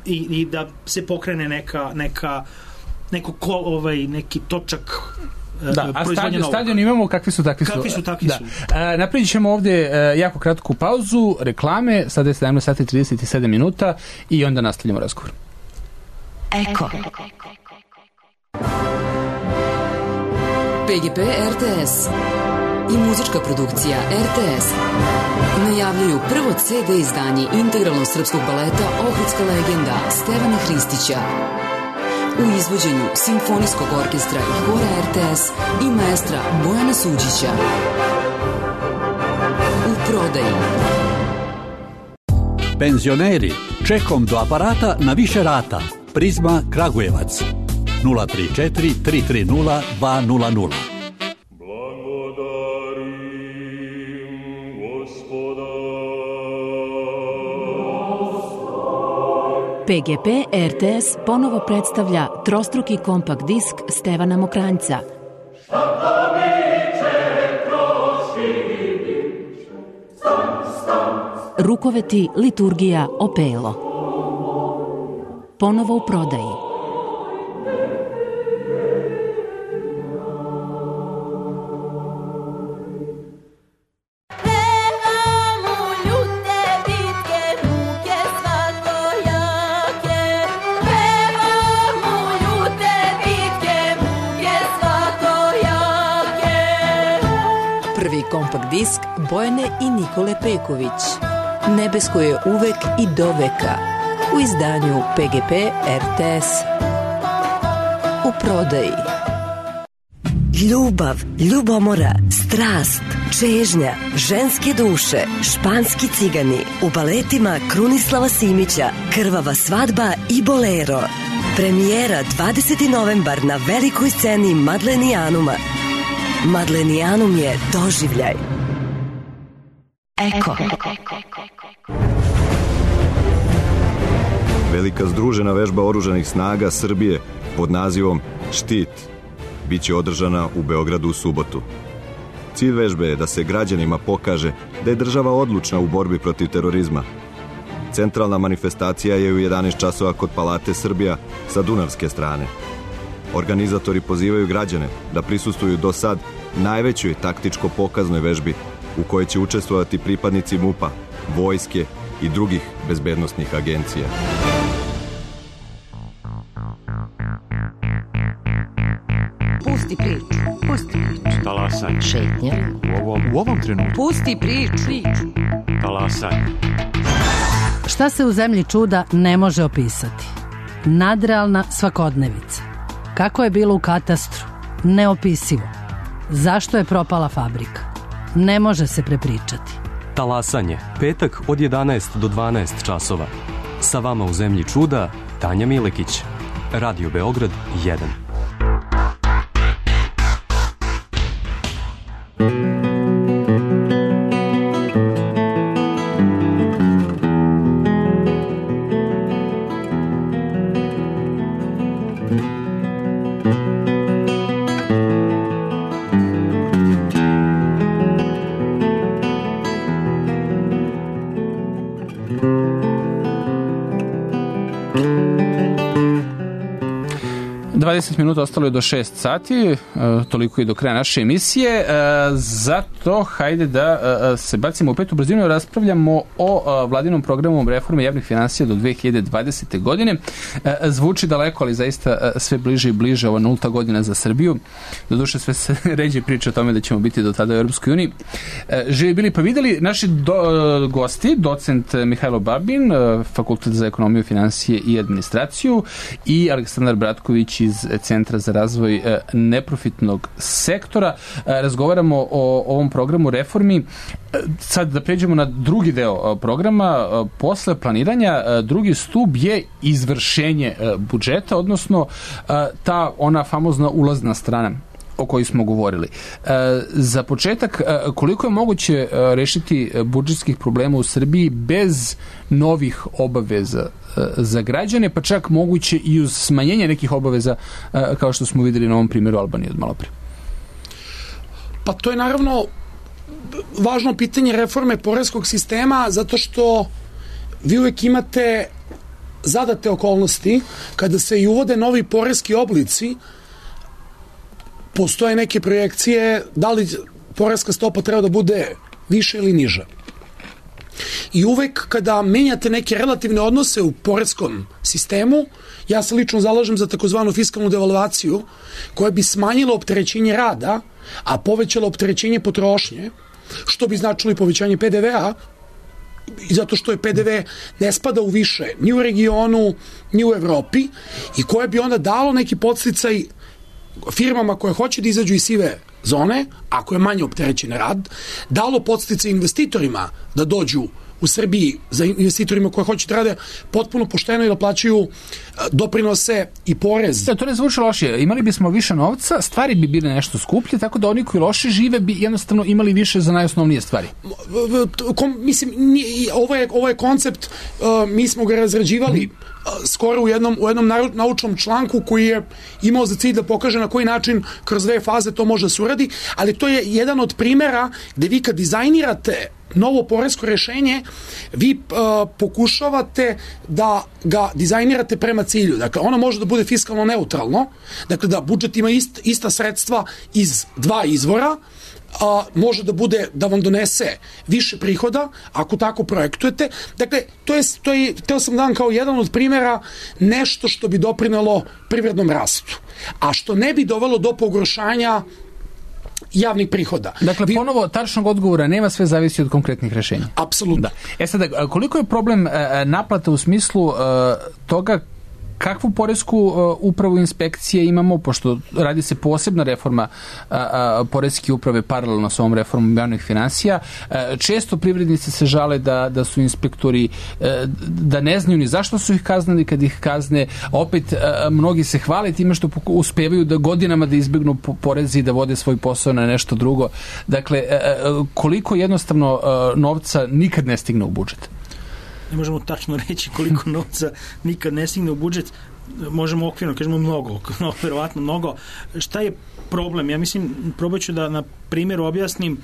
i, i da se pokrene neka, neka neko kol, ovaj, neki točak. Da, a stadion, stadion imamo, kakvi su, takvi su. Kakvi su, takvi da. su. E, napravit ćemo ovde e, jako kratku pauzu, reklame, sada je sedamnaest sati i trideset sedam minuta i onda nastavljamo razgovor. Eko. P G P R T S i muzička produkcija R T S najavljuju prvo C D izdanje integralnog srpskog baleta Ohridska legenda Stevana Hristića u izvođenju Simfonijskog orkestra i hora R T S i maestra Bojana Suđića. U prodaji. Penzioneri, čekom do aparata na više rata. Prizma Kragujevac. nula tri četiri tri tri nula dva nula nula. P G P R T S ponovo predstavlja trostruki kompakt disk Stevana Mokranjca. Rukoveti, liturgija, opelo. Ponovo u prodaji. Prvi kompakt disk Bojane i Nikole Peković. Nebesko je uvek i do veka. U izdanju P G P R T S. U prodaji. Ljubav, ljubomora, strast, čežnja, ženske duše, španski cigani u baletima Krunislava Simića, Krvava svadba i Bolero. Premijera dvadeseti novembar na velikoj sceni Madlenijanuma. Madlenijanum je doživljaj. Eko. Velika združena vežba oružanih snaga Srbije pod nazivom Štit biće održana u Beogradu u subotu. Cilj vežbe je da se građanima pokaže da je država odlučna u borbi protiv terorizma. Centralna manifestacija je u jedanaest časova kod Palate Srbija sa dunavske strane. Organizatori pozivaju građane da prisustvuju do sad najvećoj taktičko-pokaznoj vežbi u kojoj će učestvovati pripadnici MUP-a, vojske i drugih bezbednosnih agencija. Pusti priču, pusti priču. Talasaj. Šetnja. U ovom, u ovom trenutku. Pusti priču. Talasaj. Šta se u zemlji čuda ne može opisati? Nadrealna svakodnevica. Kako je bilo u katastru? Neopisivo. Zašto je propala fabrika? Ne može se prepričati. Talasanje, petak od jedanaest do dvanaest časova. Sa vama u zemlji čuda, Tanja Milekić. Radio Beograd jedan. dvadeset minuta, ostalo je do šest sati, toliko i do kraja naše emisije. Zato hajde da se bacimo u petu brzinu i raspravljamo o vladinom programu reforme javnih finansija do dve hiljade dvadesete. godine. Zvuči daleko, ali zaista sve bliže i bliže ova nulta godina za Srbiju. Doduše sve se ređe priča o tome da ćemo biti do tada u Europskoj uniji. Živi bili pa videli naši do, gosti, docent Mihajlo Babin, Fakultet za ekonomiju, finansije i administraciju, i Aleksandar Bratković iz Centra za razvoj neprofitnog sektora. Razgovaramo o ovom programu reformi. Sad da pređemo na drugi deo programa. Posle planiranja, drugi stub je izvršenje budžeta, odnosno ta ona famozna ulazna strana o kojoj smo govorili. Za početak, koliko je moguće rešiti budžetskih problema u Srbiji bez novih obaveza za građane, pa čak moguće i uz smanjenje nekih obaveza, kao što smo videli na ovom primjeru Albanije od malo pre? Pa to je naravno važno pitanje reforme poreskog sistema, zato što vi uvek imate zadate okolnosti kada se i uvode novi poreski oblici. Postoje neke projekcije da li poreska stopa treba da bude više ili niža. I uvek kada menjate neke relativne odnose u poreskom sistemu, ja se lično zalažem za takozvanu fiskalnu devalvaciju koja bi smanjila opterećenje rada, a povećala opterećenje potrošnje, što bi značilo i povećanje P D V-a, i zato što je P D V ne spada u više ni u regionu, ni u Evropi, i koje bi onda dalo neki podsticaj firmama koje hoće da izađu iz sive zone, ako je manje opterećen rad, dalo podsticaj investitorima da dođu u Srbiji, za investitorima koje hoće da rade potpuno pošteno i da plaćaju doprinose i porez. Da, to ne zvuči lošije. Imali bismo više novca, stvari bi bile nešto skuplje, tako da oni koji loše žive bi jednostavno imali više za najosnovnije stvari. Kom, mislim, ovo je, ovo je koncept, uh, mi smo ga razrađivali uh, skoro u jednom, u jednom naučnom članku koji je imao za cilj da pokaže na koji način kroz dve faze to može da se uradi, ali to je jedan od primera gde vi kad dizajnirate novo poresko rešenje, vi uh, pokušavate da ga dizajnirate prema cilju. Dakle, ono može da bude fiskalno neutralno, dakle da budžet ima ist, ista sredstva iz dva izvora, a, može da bude da vam donese više prihoda ako tako projektujete. Dakle, to je, to je, teo sam dan kao jedan od primjera nešto što bi doprinelo privrednom rastu, a što ne bi dovelo do pogoršanja javnih prihoda. Dakle, Vi... ponovo, tačnog odgovora nema, sve zavisi od konkretnih rešenja. Apsolutno. Da. E sada, koliko je problem e, naplata u smislu e, toga kakvu poresku uh, upravu inspekcije imamo, pošto radi se posebna reforma uh, uh, poreske uprave paralelno sa ovom reformom javnih finansija. Uh, često privrednici se žale da, da su inspektori, uh, da ne znaju ni zašto su ih kaznili kad ih kazne. Opet, uh, mnogi se hvale time što uspevaju da godinama da izbjegnu porezi i da vode svoj posao na nešto drugo. Dakle, uh, koliko jednostavno uh, novca nikad ne stigne u budžet? Ne možemo tačno reći koliko novca nikad ne stigne u budžet, možemo okvirno, kažemo mnogo, no, verovatno mnogo. Šta je problem? Ja mislim, probat ću da na primjeru objasnim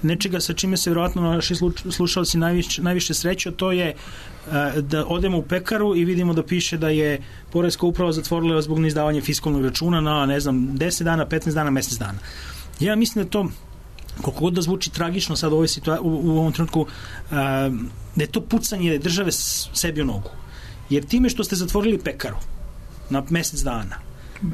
nečega sa čime se verovatno naši slušalci najviše, najviše sreću, to je da odemo u pekaru i vidimo da piše da je poreska uprava zatvorila zbog neizdavanja fiskalnog računa na, ne znam, deset dana, petnaest dana, mesec dana. Ja mislim da to, koliko god da zvuči tragično sad u, ovoj situa- u, u ovom trenutku, a, da je to pucanje države sebi u nogu. Jer time što ste zatvorili pekaru na mesec dana,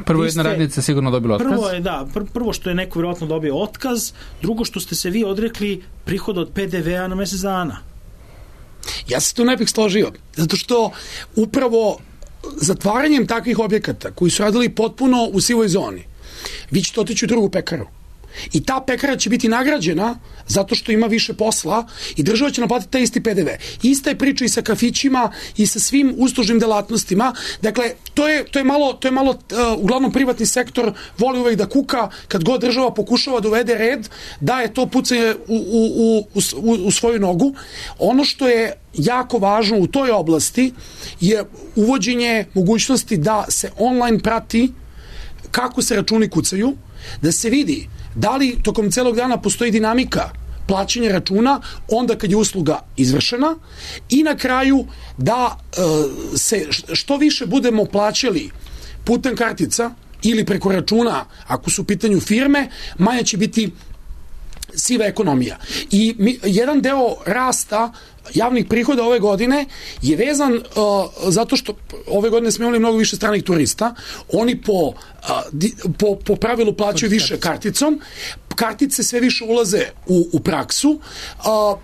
prvo jedna ste, radnica sigurno dobila otkaz. Prvo je, da, pr- prvo što je neko vjerojatno dobio otkaz, drugo što ste se vi odrekli prihoda od P D V-a na mesec dana. Ja se tu ne bih složio, zato što upravo zatvaranjem takvih objekata koji su radili potpuno u sivoj zoni, vi ćete otići u drugu pekaru. I ta pekara će biti nagrađena zato što ima više posla i država će naplatiti taj isti P D V. Ista je priča i sa kafićima i sa svim uslužnim delatnostima. Dakle, to je, to je malo, to je malo uh, uglavnom privatni sektor voli uvek da kuka kad god država pokušava da uvede red, da je to pucanje u, u, u, u, u svoju nogu. Ono što je jako važno u toj oblasti je uvođenje mogućnosti da se online prati kako se računi kucaju, da se vidi da li tokom celog dana postoji dinamika plaćanja računa onda kad je usluga izvršena i na kraju da e, se što više budemo plaćali putem kartica ili preko računa, ako su u pitanju firme, manja će biti siva ekonomija. I mi, jedan deo rasta javnih prihoda ove godine je vezan uh, zato što ove godine smo imali mnogo više stranih turista. Oni po, uh, di, po, po pravilu plaćaju više karticom. Kartice sve više ulaze u, u praksu. Uh,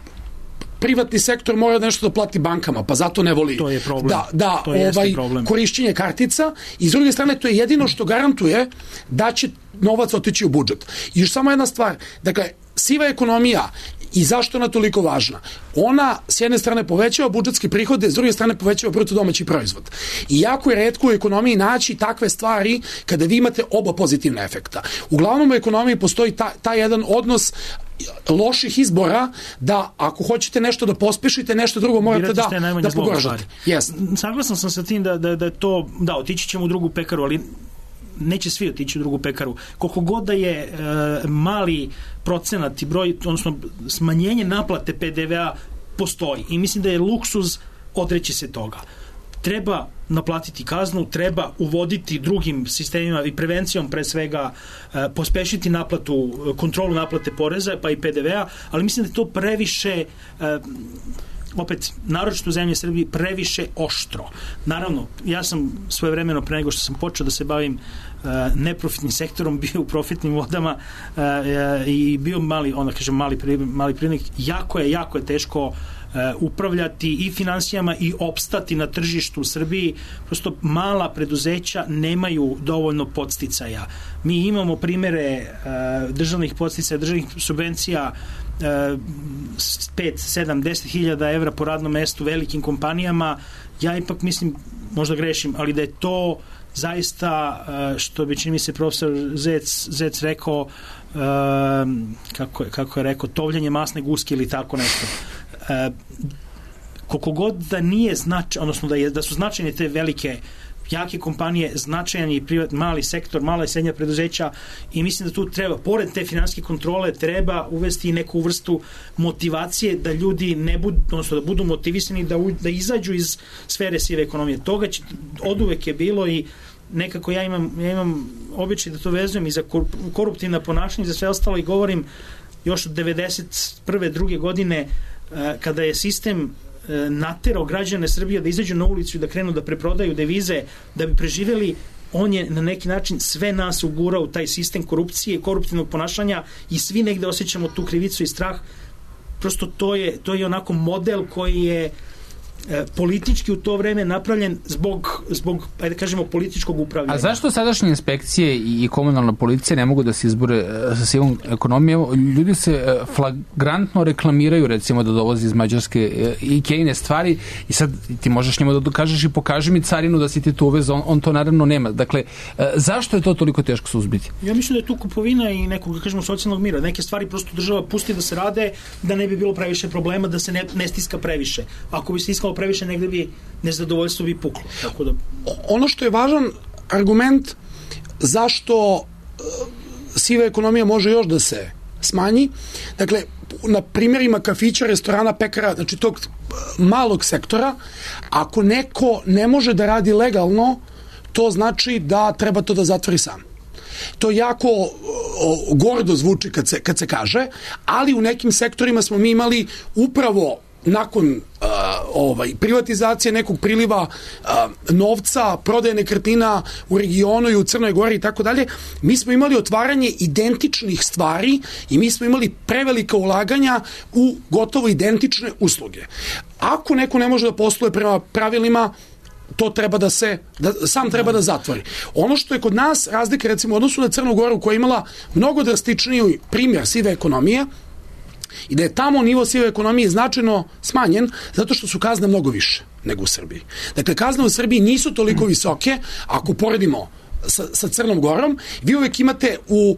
privatni sektor mora nešto da plati bankama, pa zato ne voli to je problem. da, da to ovaj, korišćenje kartica. I s druge strane, to je jedino što garantuje da će novac otići u budžet. I još samo jedna stvar, dakle, siva ekonomija i zašto ona toliko važna? Ona s jedne strane povećava budžetske prihode, s druge strane povećava bruto domaći proizvod. I jako je retko u ekonomiji naći takve stvari kada vi imate oba pozitivna efekta. Uglavnom u ekonomiji postoji ta, ta jedan odnos loših izbora da ako hoćete nešto da pospešite, nešto drugo morate da, da pogoršate. Yes. Saglasan sam sa tim da, da, da to, da, otići ćemo u drugu pekaru, ali neće svi otići u drugu pekaru. Koliko god da je e, mali procenat i broj, odnosno smanjenje naplate P D V-a postoji i mislim da je luksuz odreći se toga. Treba naplatiti kaznu, treba uvoditi drugim sistemima i prevencijom pre svega e, pospešiti naplatu, kontrolu naplate poreza pa i P D V-a, ali mislim da je to previše e, opet, naročito u zemlji Srbiji, previše oštro. Naravno, ja sam svojevremeno pre nego što sam počeo da se bavim uh, neprofitnim sektorom, bio u profitnim vodama uh, uh, i bio mali, onda kažem, mali, pri, mali privrednik. Jako je, jako je teško uh, upravljati i finansijama i opstati na tržištu u Srbiji. Prosto mala preduzeća nemaju dovoljno podsticaja. Mi imamo primere uh, državnih podsticaja, državnih subvencija pet, sedam, deset hiljada evra po radnom mestu velikim kompanijama. Ja ipak mislim, možda grešim, ali da je to zaista, što bi čini mi se profesor Zec, Zec rekao, kako je, kako je rekao, tovljenje masne guske ili tako nešto. Koliko god da nije značaj, odnosno da, je, da su značajne te velike jake kompanije, značajan i privat, mali sektor, mala i srednja preduzeća i mislim da tu treba, pored te finansijske kontrole, treba uvesti i neku vrstu motivacije da ljudi ne budu, odnosno da budu motivisani da, u, da izađu iz sfere sive ekonomije. Toga će, oduvek je bilo i nekako ja imam, ja imam običaj da to vezujem i za koruptivna ponašanja i za sve ostalo i govorim još od devedeset prve druge godine kada je sistem naterao građane Srbije da izađu na ulicu i da krenu da preprodaju devize da bi preživjeli, on je na neki način sve nas ugurao u taj sistem korupcije, koruptivnog ponašanja i svi negde osjećamo tu krivicu i strah. Prosto to je, to je onako model koji je e, politički u to vreme napravljen zbog, zbog ajde kažemo, političkog upravljanja. A zašto sadašnje inspekcije i komunalna policija ne mogu da se izbore sa sivom ekonomijom? Ljudi se flagrantno reklamiraju, recimo, da dolazi iz Mađarske i Kejne stvari i sad ti možeš njima da dokažeš i pokaži mi carinu da si ti to uvezao, on, on to naravno nema. Dakle, zašto je to toliko teško suzbiti? Ja mislim da je tu kupovina i nekog, da kažemo, socijalnog mira. Neke stvari prosto država pusti da se rade, da ne bi bilo previše problema, da se ne, ne stiska previše. Ako bi se stiskalo previše, negde bi nezadovoljstvo bi puklo. Tako da... Ono što je važan argument zašto siva ekonomija može još da se smanji, dakle, na primjerima kafića, restorana, pekara, znači tog malog sektora, ako neko ne može da radi legalno, to znači da treba to da zatvori sam. To jako o, gordo zvuči kad se, kad se kaže, ali u nekim sektorima smo mi imali upravo nakon uh, ovaj, privatizacije nekog priliva uh, novca, prodaje nekretnina u regionu i u Crnoj Gori i tako dalje, mi smo imali otvaranje identičnih stvari i mi smo imali prevelika ulaganja u gotovo identične usluge. Ako neko ne može da posluje prema pravilima, to treba da se, da, sam treba da zatvori. Ono što je kod nas razlika, recimo, u odnosu na Crnu Goru, koja je imala mnogo drastičniji primjer sive ekonomije, i da je tamo nivo sive ekonomije značajno smanjen zato što su kazne mnogo više nego u Srbiji. Dakle, kazne u Srbiji nisu toliko visoke, ako poredimo sa, sa Crnom Gorom, vi uvek imate u uh,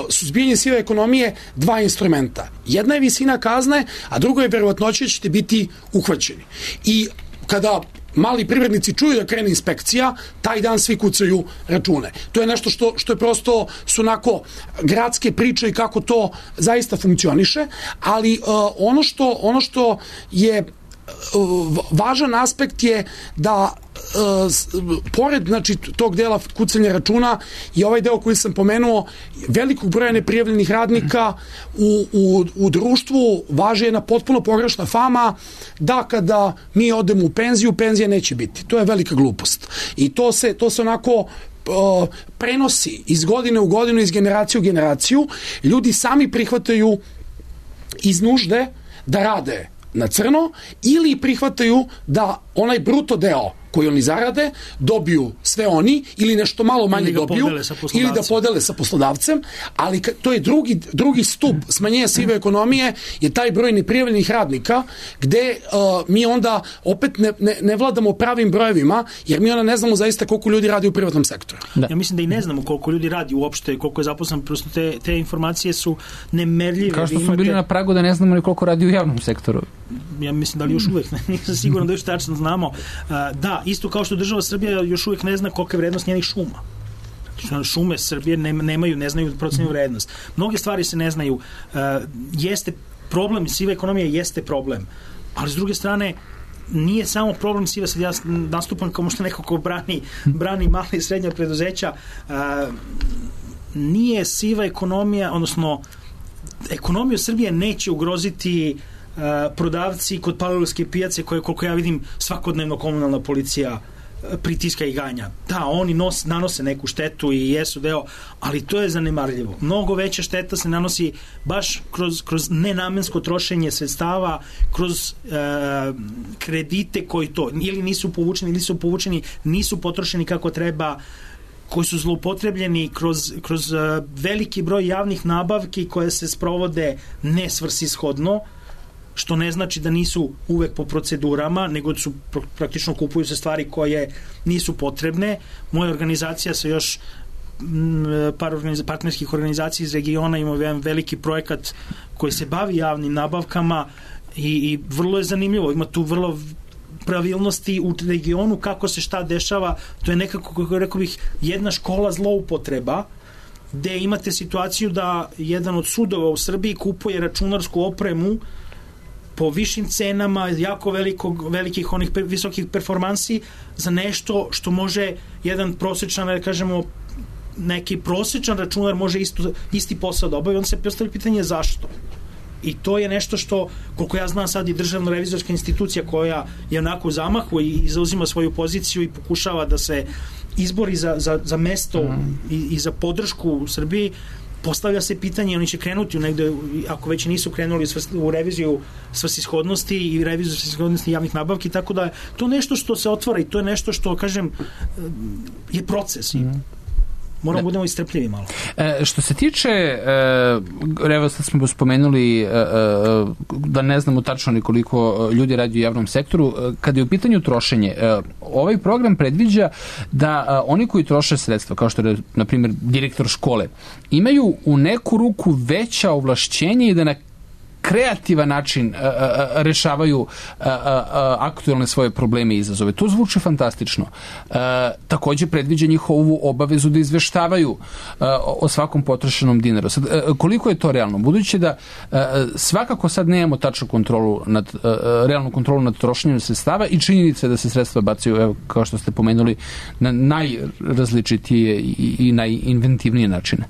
suzbijanju sive ekonomije dva instrumenta. Jedna je visina kazne, a drugo je verovatnoća da ćete biti uhvaćeni. I kada mali privrednici čuju da krene inspekcija, taj dan svi kucaju račune. To je nešto što, što je prosto su onako gradske priče i kako to zaista funkcioniše, ali uh, ono što, ono što je važan aspekt je da pored znači, tog dela kucanja računa i ovaj deo koji sam pomenuo, velikog broja neprijavljenih radnika u, u, u društvu važi jedna potpuno pogrešna fama da kada mi odemo u penziju, penzija neće biti. To je velika glupost. I to se, to se onako prenosi iz godine u godinu, iz generacije u generaciju. Ljudi sami prihvataju iz nužde da rade na crno ili prihvataju da onaj bruto deo koji oni zarade, dobiju sve oni ili nešto malo manje dobiju ili da podele sa poslodavcem, ali to je drugi, drugi stup smanjenja sive ekonomije je taj broj neprijavljenih radnika gde uh, mi onda opet ne, ne, ne vladamo pravim brojevima jer mi onda ne znamo zaista koliko ljudi radi u privatnom sektoru. Da. Ja mislim da i ne znamo koliko ljudi radi uopšte, koliko je zaposlen, prosto te, te informacije su nemerljive. Kao što smo imate... bili na pragu da ne znamo ni koliko radi u javnom sektoru. Ja mislim da li još uvek, nisam siguran da još tačno znamo. Uh, da, isto kao što država Srbija još uvijek ne zna kolika je vrednost njenih šuma. Šume Srbije nemaju, ne znaju procenu vrednost. Mnoge stvari se ne znaju. Uh, jeste problem, siva ekonomija jeste problem. Ali s druge strane, nije samo problem siva, sad ja nastupam kao možda neko ko brani, brani mali i srednja preduzeća. Uh, nije siva ekonomija, odnosno ekonomiju Srbije neće ugroziti Uh, prodavci kod Palilulske pijace koje, koliko ja vidim, svakodnevno komunalna policija uh, pritiska i ganja. Da, oni nos, nanose neku štetu i jesu deo, ali to je zanemarljivo. Mnogo veća šteta se nanosi baš kroz, kroz nenamensko trošenje sredstava, kroz uh, kredite koji to ili nisu povučeni, ili su povučeni, nisu potrošeni kako treba, koji su zloupotrebljeni kroz, kroz uh, veliki broj javnih nabavki koje se sprovode nesvrsishodno, što ne znači da nisu uvek po procedurama, nego su praktično kupuju se stvari koje nisu potrebne. Moja organizacija sa još par organiz, partnerskih organizacija iz regiona ima jedan veliki projekat koji se bavi javnim nabavkama i, i vrlo je zanimljivo. Ima tu vrlo pravilnosti u regionu kako se šta dešava. To je nekako, kako rekao bih, jedna škola zloupotreba gde imate situaciju da jedan od sudova u Srbiji kupuje računarsku opremu po višim cenama, jako velikog, velikih onih per, visokih performansi za nešto što može jedan prosječan, da kažemo, neki prosječan računar može isto, isti posao da obavi. On se postavlja pitanje zašto. I to je nešto što, koliko ja znam sad i državna revizorska institucija koja je onako u zamahu i zauzima svoju poziciju i pokušava da se izbori za, za, za mesto mm. i, i za podršku u Srbiji, postavlja se pitanje, oni će krenuti u negde, ako već nisu krenuli u reviziju svrsishodnosti i reviziju svrsishodnosti javnih nabavki, tako da to nešto što se otvara i to je nešto što, kažem, je proces. Mm. Moramo da budemo istrpljivi malo. E, što se tiče, e, evo sad smo spomenuli e, e, da ne znamo tačno ni koliko ljudi radi u javnom sektoru, e, kada je u pitanju trošenje, e, ovaj program predviđa da e, oni koji troše sredstva, kao što je, na primjer, direktor škole, imaju u neku ruku veća ovlašćenja i da na kreativan način a, a, a, rešavaju a, a, a, aktualne svoje probleme i izazove. To zvuči fantastično. A, takođe predviđa njihovu obavezu da izveštavaju a, o svakom potrošenom dinaru. Sad, a, koliko je to realno? Budući da a, svakako sad nemamo tačnu kontrolu nad, a, realnu kontrolu nad trošenjem sredstava i činjenica da se sredstva bacaju, evo, kao što ste pomenuli, na najrazličitije i, i najinventivnije načine.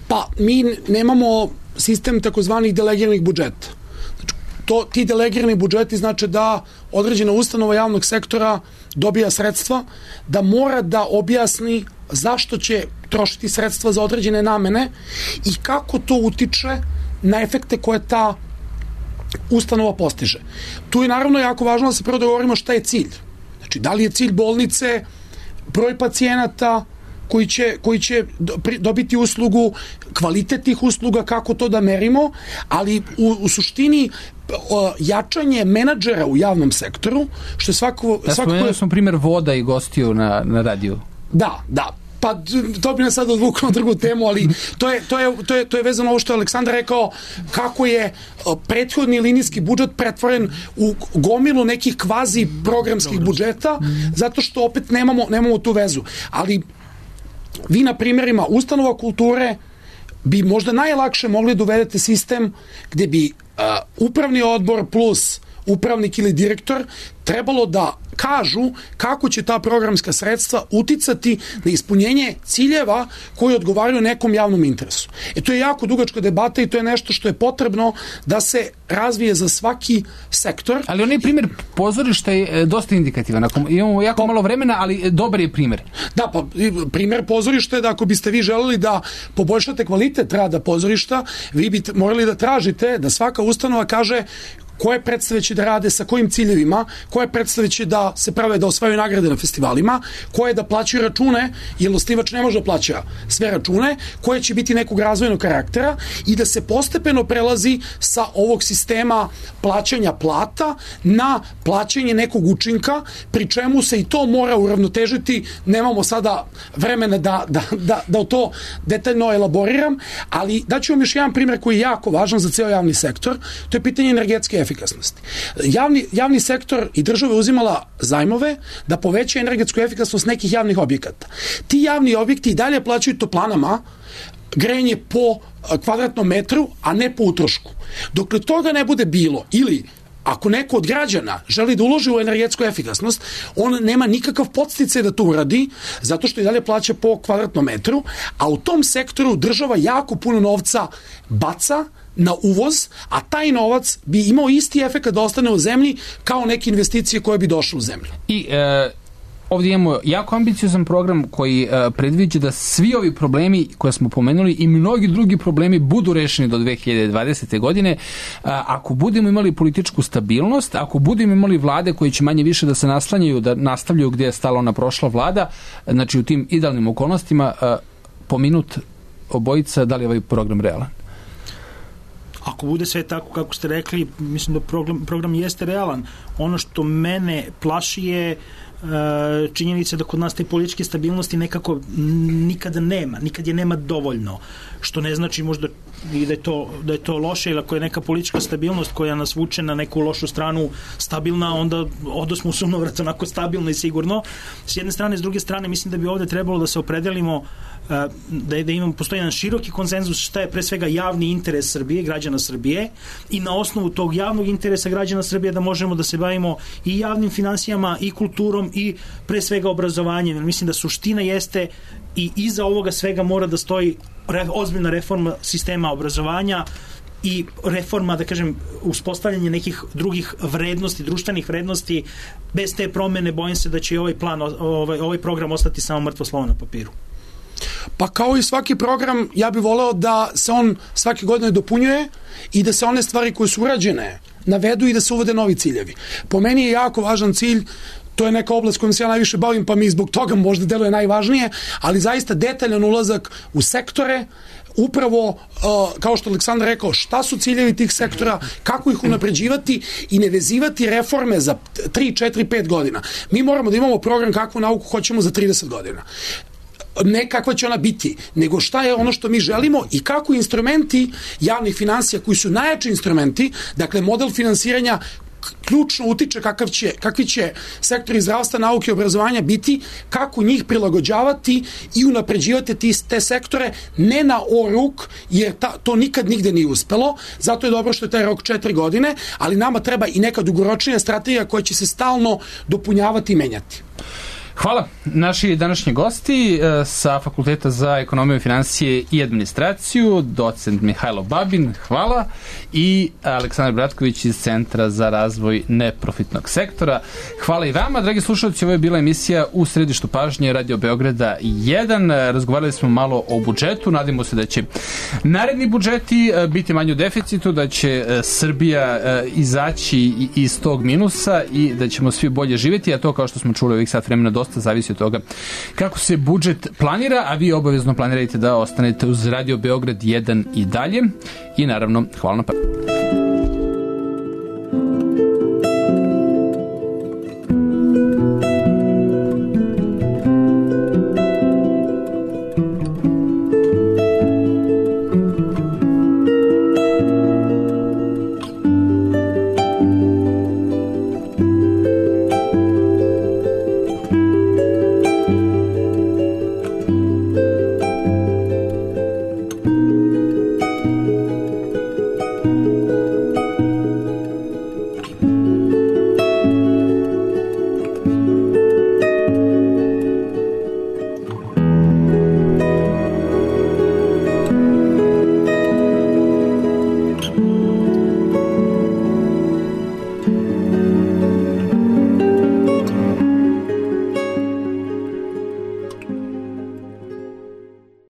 Pa, mi nemamo sistem takozvanih delegiranih budžeta. Znači, to, ti delegirani budžeti znači da određena ustanova javnog sektora dobija sredstva, da mora da objasni zašto će trošiti sredstva za određene namene i kako to utiče na efekte koje ta ustanova postiže. Tu je naravno jako važno da se prvo dogovorimo šta je cilj. Znači, da li je cilj bolnice broj pacijenata koji će, koji će dobiti uslugu, kvalitet tih usluga, kako to da merimo, ali u, u suštini o, jačanje menadžera u javnom sektoru, što je svako... Ja spomenuo sam primjer voda i gostiju na, na radiju. Da, da. Pa to bi nas sad odvuklo na drugu temu, ali to je, to je, to je, to je vezano ovo što je Aleksandar rekao, kako je prethodni linijski budžet pretvoren u gomilu nekih kvazi programskih budžeta, zato što opet nemamo, nemamo tu vezu. Ali vi na primjerima ustanova kulture bi možda najlakše mogli da uvedete sistem gde bi uh, upravni odbor plus upravnik ili direktor trebalo da kažu kako će ta programska sredstva uticati na ispunjenje ciljeva koji odgovaraju nekom javnom interesu. E to je jako dugačka debata i to je nešto što je potrebno da se razvije za svaki sektor. Ali onaj primjer pozorišta je dosta indikativan. Ako imamo jako pa, malo vremena, ali dobar je primjer. Da, pa primjer pozorišta je da ako biste vi želeli da poboljšate kvalitet rada pozorišta, vi bi morali da tražite da svaka ustanova kaže koje predstave će da rade, sa kojim ciljevima, koje predstave će da se prave da osvajaju nagrade na festivalima, koje da plaćaju račune, jer osnivač ne može da plaća sve račune, koje će biti nekog razvojnog karaktera i da se postepeno prelazi sa ovog sistema plaćanja plata na plaćanje nekog učinka, pri čemu se i to mora uravnotežiti. Nemamo sada vremena da, da, da, da to detaljno elaboriram, ali daću vam još jedan primjer koji je jako važan za ceo javni sektor, to je pitanje energetske efikasnosti. Javni, javni sektor i država uzimala zajmove da poveća energetsku efikasnost nekih javnih objekata. Ti javni objekti i dalje plaćaju toplanama grejanje po kvadratnom metru, a ne po utrošku. Dokle toga ne bude bilo, ili ako neko od građana želi da uloži u energetsku efikasnost, on nema nikakav podsticaj da to uradi, zato što i dalje plaća po kvadratnom metru, a u tom sektoru država jako puno novca baca na uvoz, a taj novac bi imao isti efekt da ostane u zemlji kao neke investicije koje bi došle u zemlju. I e, ovdje imamo jako ambiciozan program koji e, predviđa da svi ovi problemi koje smo pomenuli i mnogi drugi problemi budu rešeni do dve hiljade dvadesete. godine. E, ako budemo imali političku stabilnost, ako budemo imali vlade koje će manje više da se naslanjaju, da nastavljaju gdje je stala ona prošla vlada, znači u tim idealnim okolnostima, e, po minut obojica, da li je ovaj program realan? Ako bude sve tako kako ste rekli, mislim da program, program jeste realan. Ono što mene plaši je činjenica da kod nas te političke stabilnosti nekako nikada nema, nikad je nema dovoljno, što ne znači možda i da je to, da je to loše, ili ako je neka politička stabilnost koja nas vuče na neku lošu stranu stabilna, onda odosmo u sunovrat onako stabilno i sigurno. S jedne strane, s druge strane, mislim da bi ovde trebalo da se opredelimo da, je, da imamo, postoji jedan široki konsenzus šta je pre svega javni interes Srbije, građana Srbije, i na osnovu tog javnog interesa građana Srbije da možemo da se bavimo i javnim finansijama i kulturom i pre svega obrazovanjem. Mislim da suština jeste i iza ovoga svega mora da stoji re, ozbiljna reforma sistema obrazovanja i reforma, da kažem, uspostavljanje nekih drugih vrednosti, društvenih vrednosti. Bez te promene bojim se da će ovaj plan, ovaj, ovaj program ostati samo mrtvo slovo na papiru. Pa kao i svaki program, ja bih voleo da se on svake godine dopunjuje i da se one stvari koje su urađene navedu i da se uvode novi ciljevi. Po meni je jako važan cilj, to je neka oblast kojom se ja najviše bavim, pa mi zbog toga možda deluje najvažnije, ali zaista detaljan ulazak u sektore, upravo, uh, kao što Aleksandar rekao, šta su ciljevi tih sektora, kako ih unapređivati i ne vezivati reforme za tri, četiri, pet godina. Mi moramo da imamo program kakvu nauku hoćemo za trideset godina. Ne kakva će ona biti, nego šta je ono što mi želimo i kako instrumenti javnih finansija koji su najjači instrumenti, dakle model finansiranja ključno utiče kakav će, kakvi će sektori zdravstva, nauke i obrazovanja biti, kako njih prilagođavati i unapređivati ti, te sektore, ne na oruk, jer ta, to nikad nigde nije uspelo, zato je dobro što je taj rok četiri godine, ali nama treba i neka dugoročnija strategija koja će se stalno dopunjavati i menjati. Hvala. Naši današnji gosti sa Fakulteta za ekonomiju, financije i administraciju, docent Mihajlo Babin, hvala, i Aleksandar Bratković iz Centra za razvoj neprofitnog sektora. Hvala i vama, dragi slušalci, ovo je bila emisija U središtu pažnje Radio Beograda jedan. Razgovarali smo malo o budžetu, nadimo se da će naredni budžeti biti manje u deficitu, da će Srbija izaći iz tog minusa i da ćemo svi bolje živjeti, a to, kao što smo čuli ovih sat vremena, dosta zavisi od toga kako se budžet planira, a vi obavezno planirajte da ostanete uz Radio Beograd jedan i dalje. I naravno, hvala na pažnji.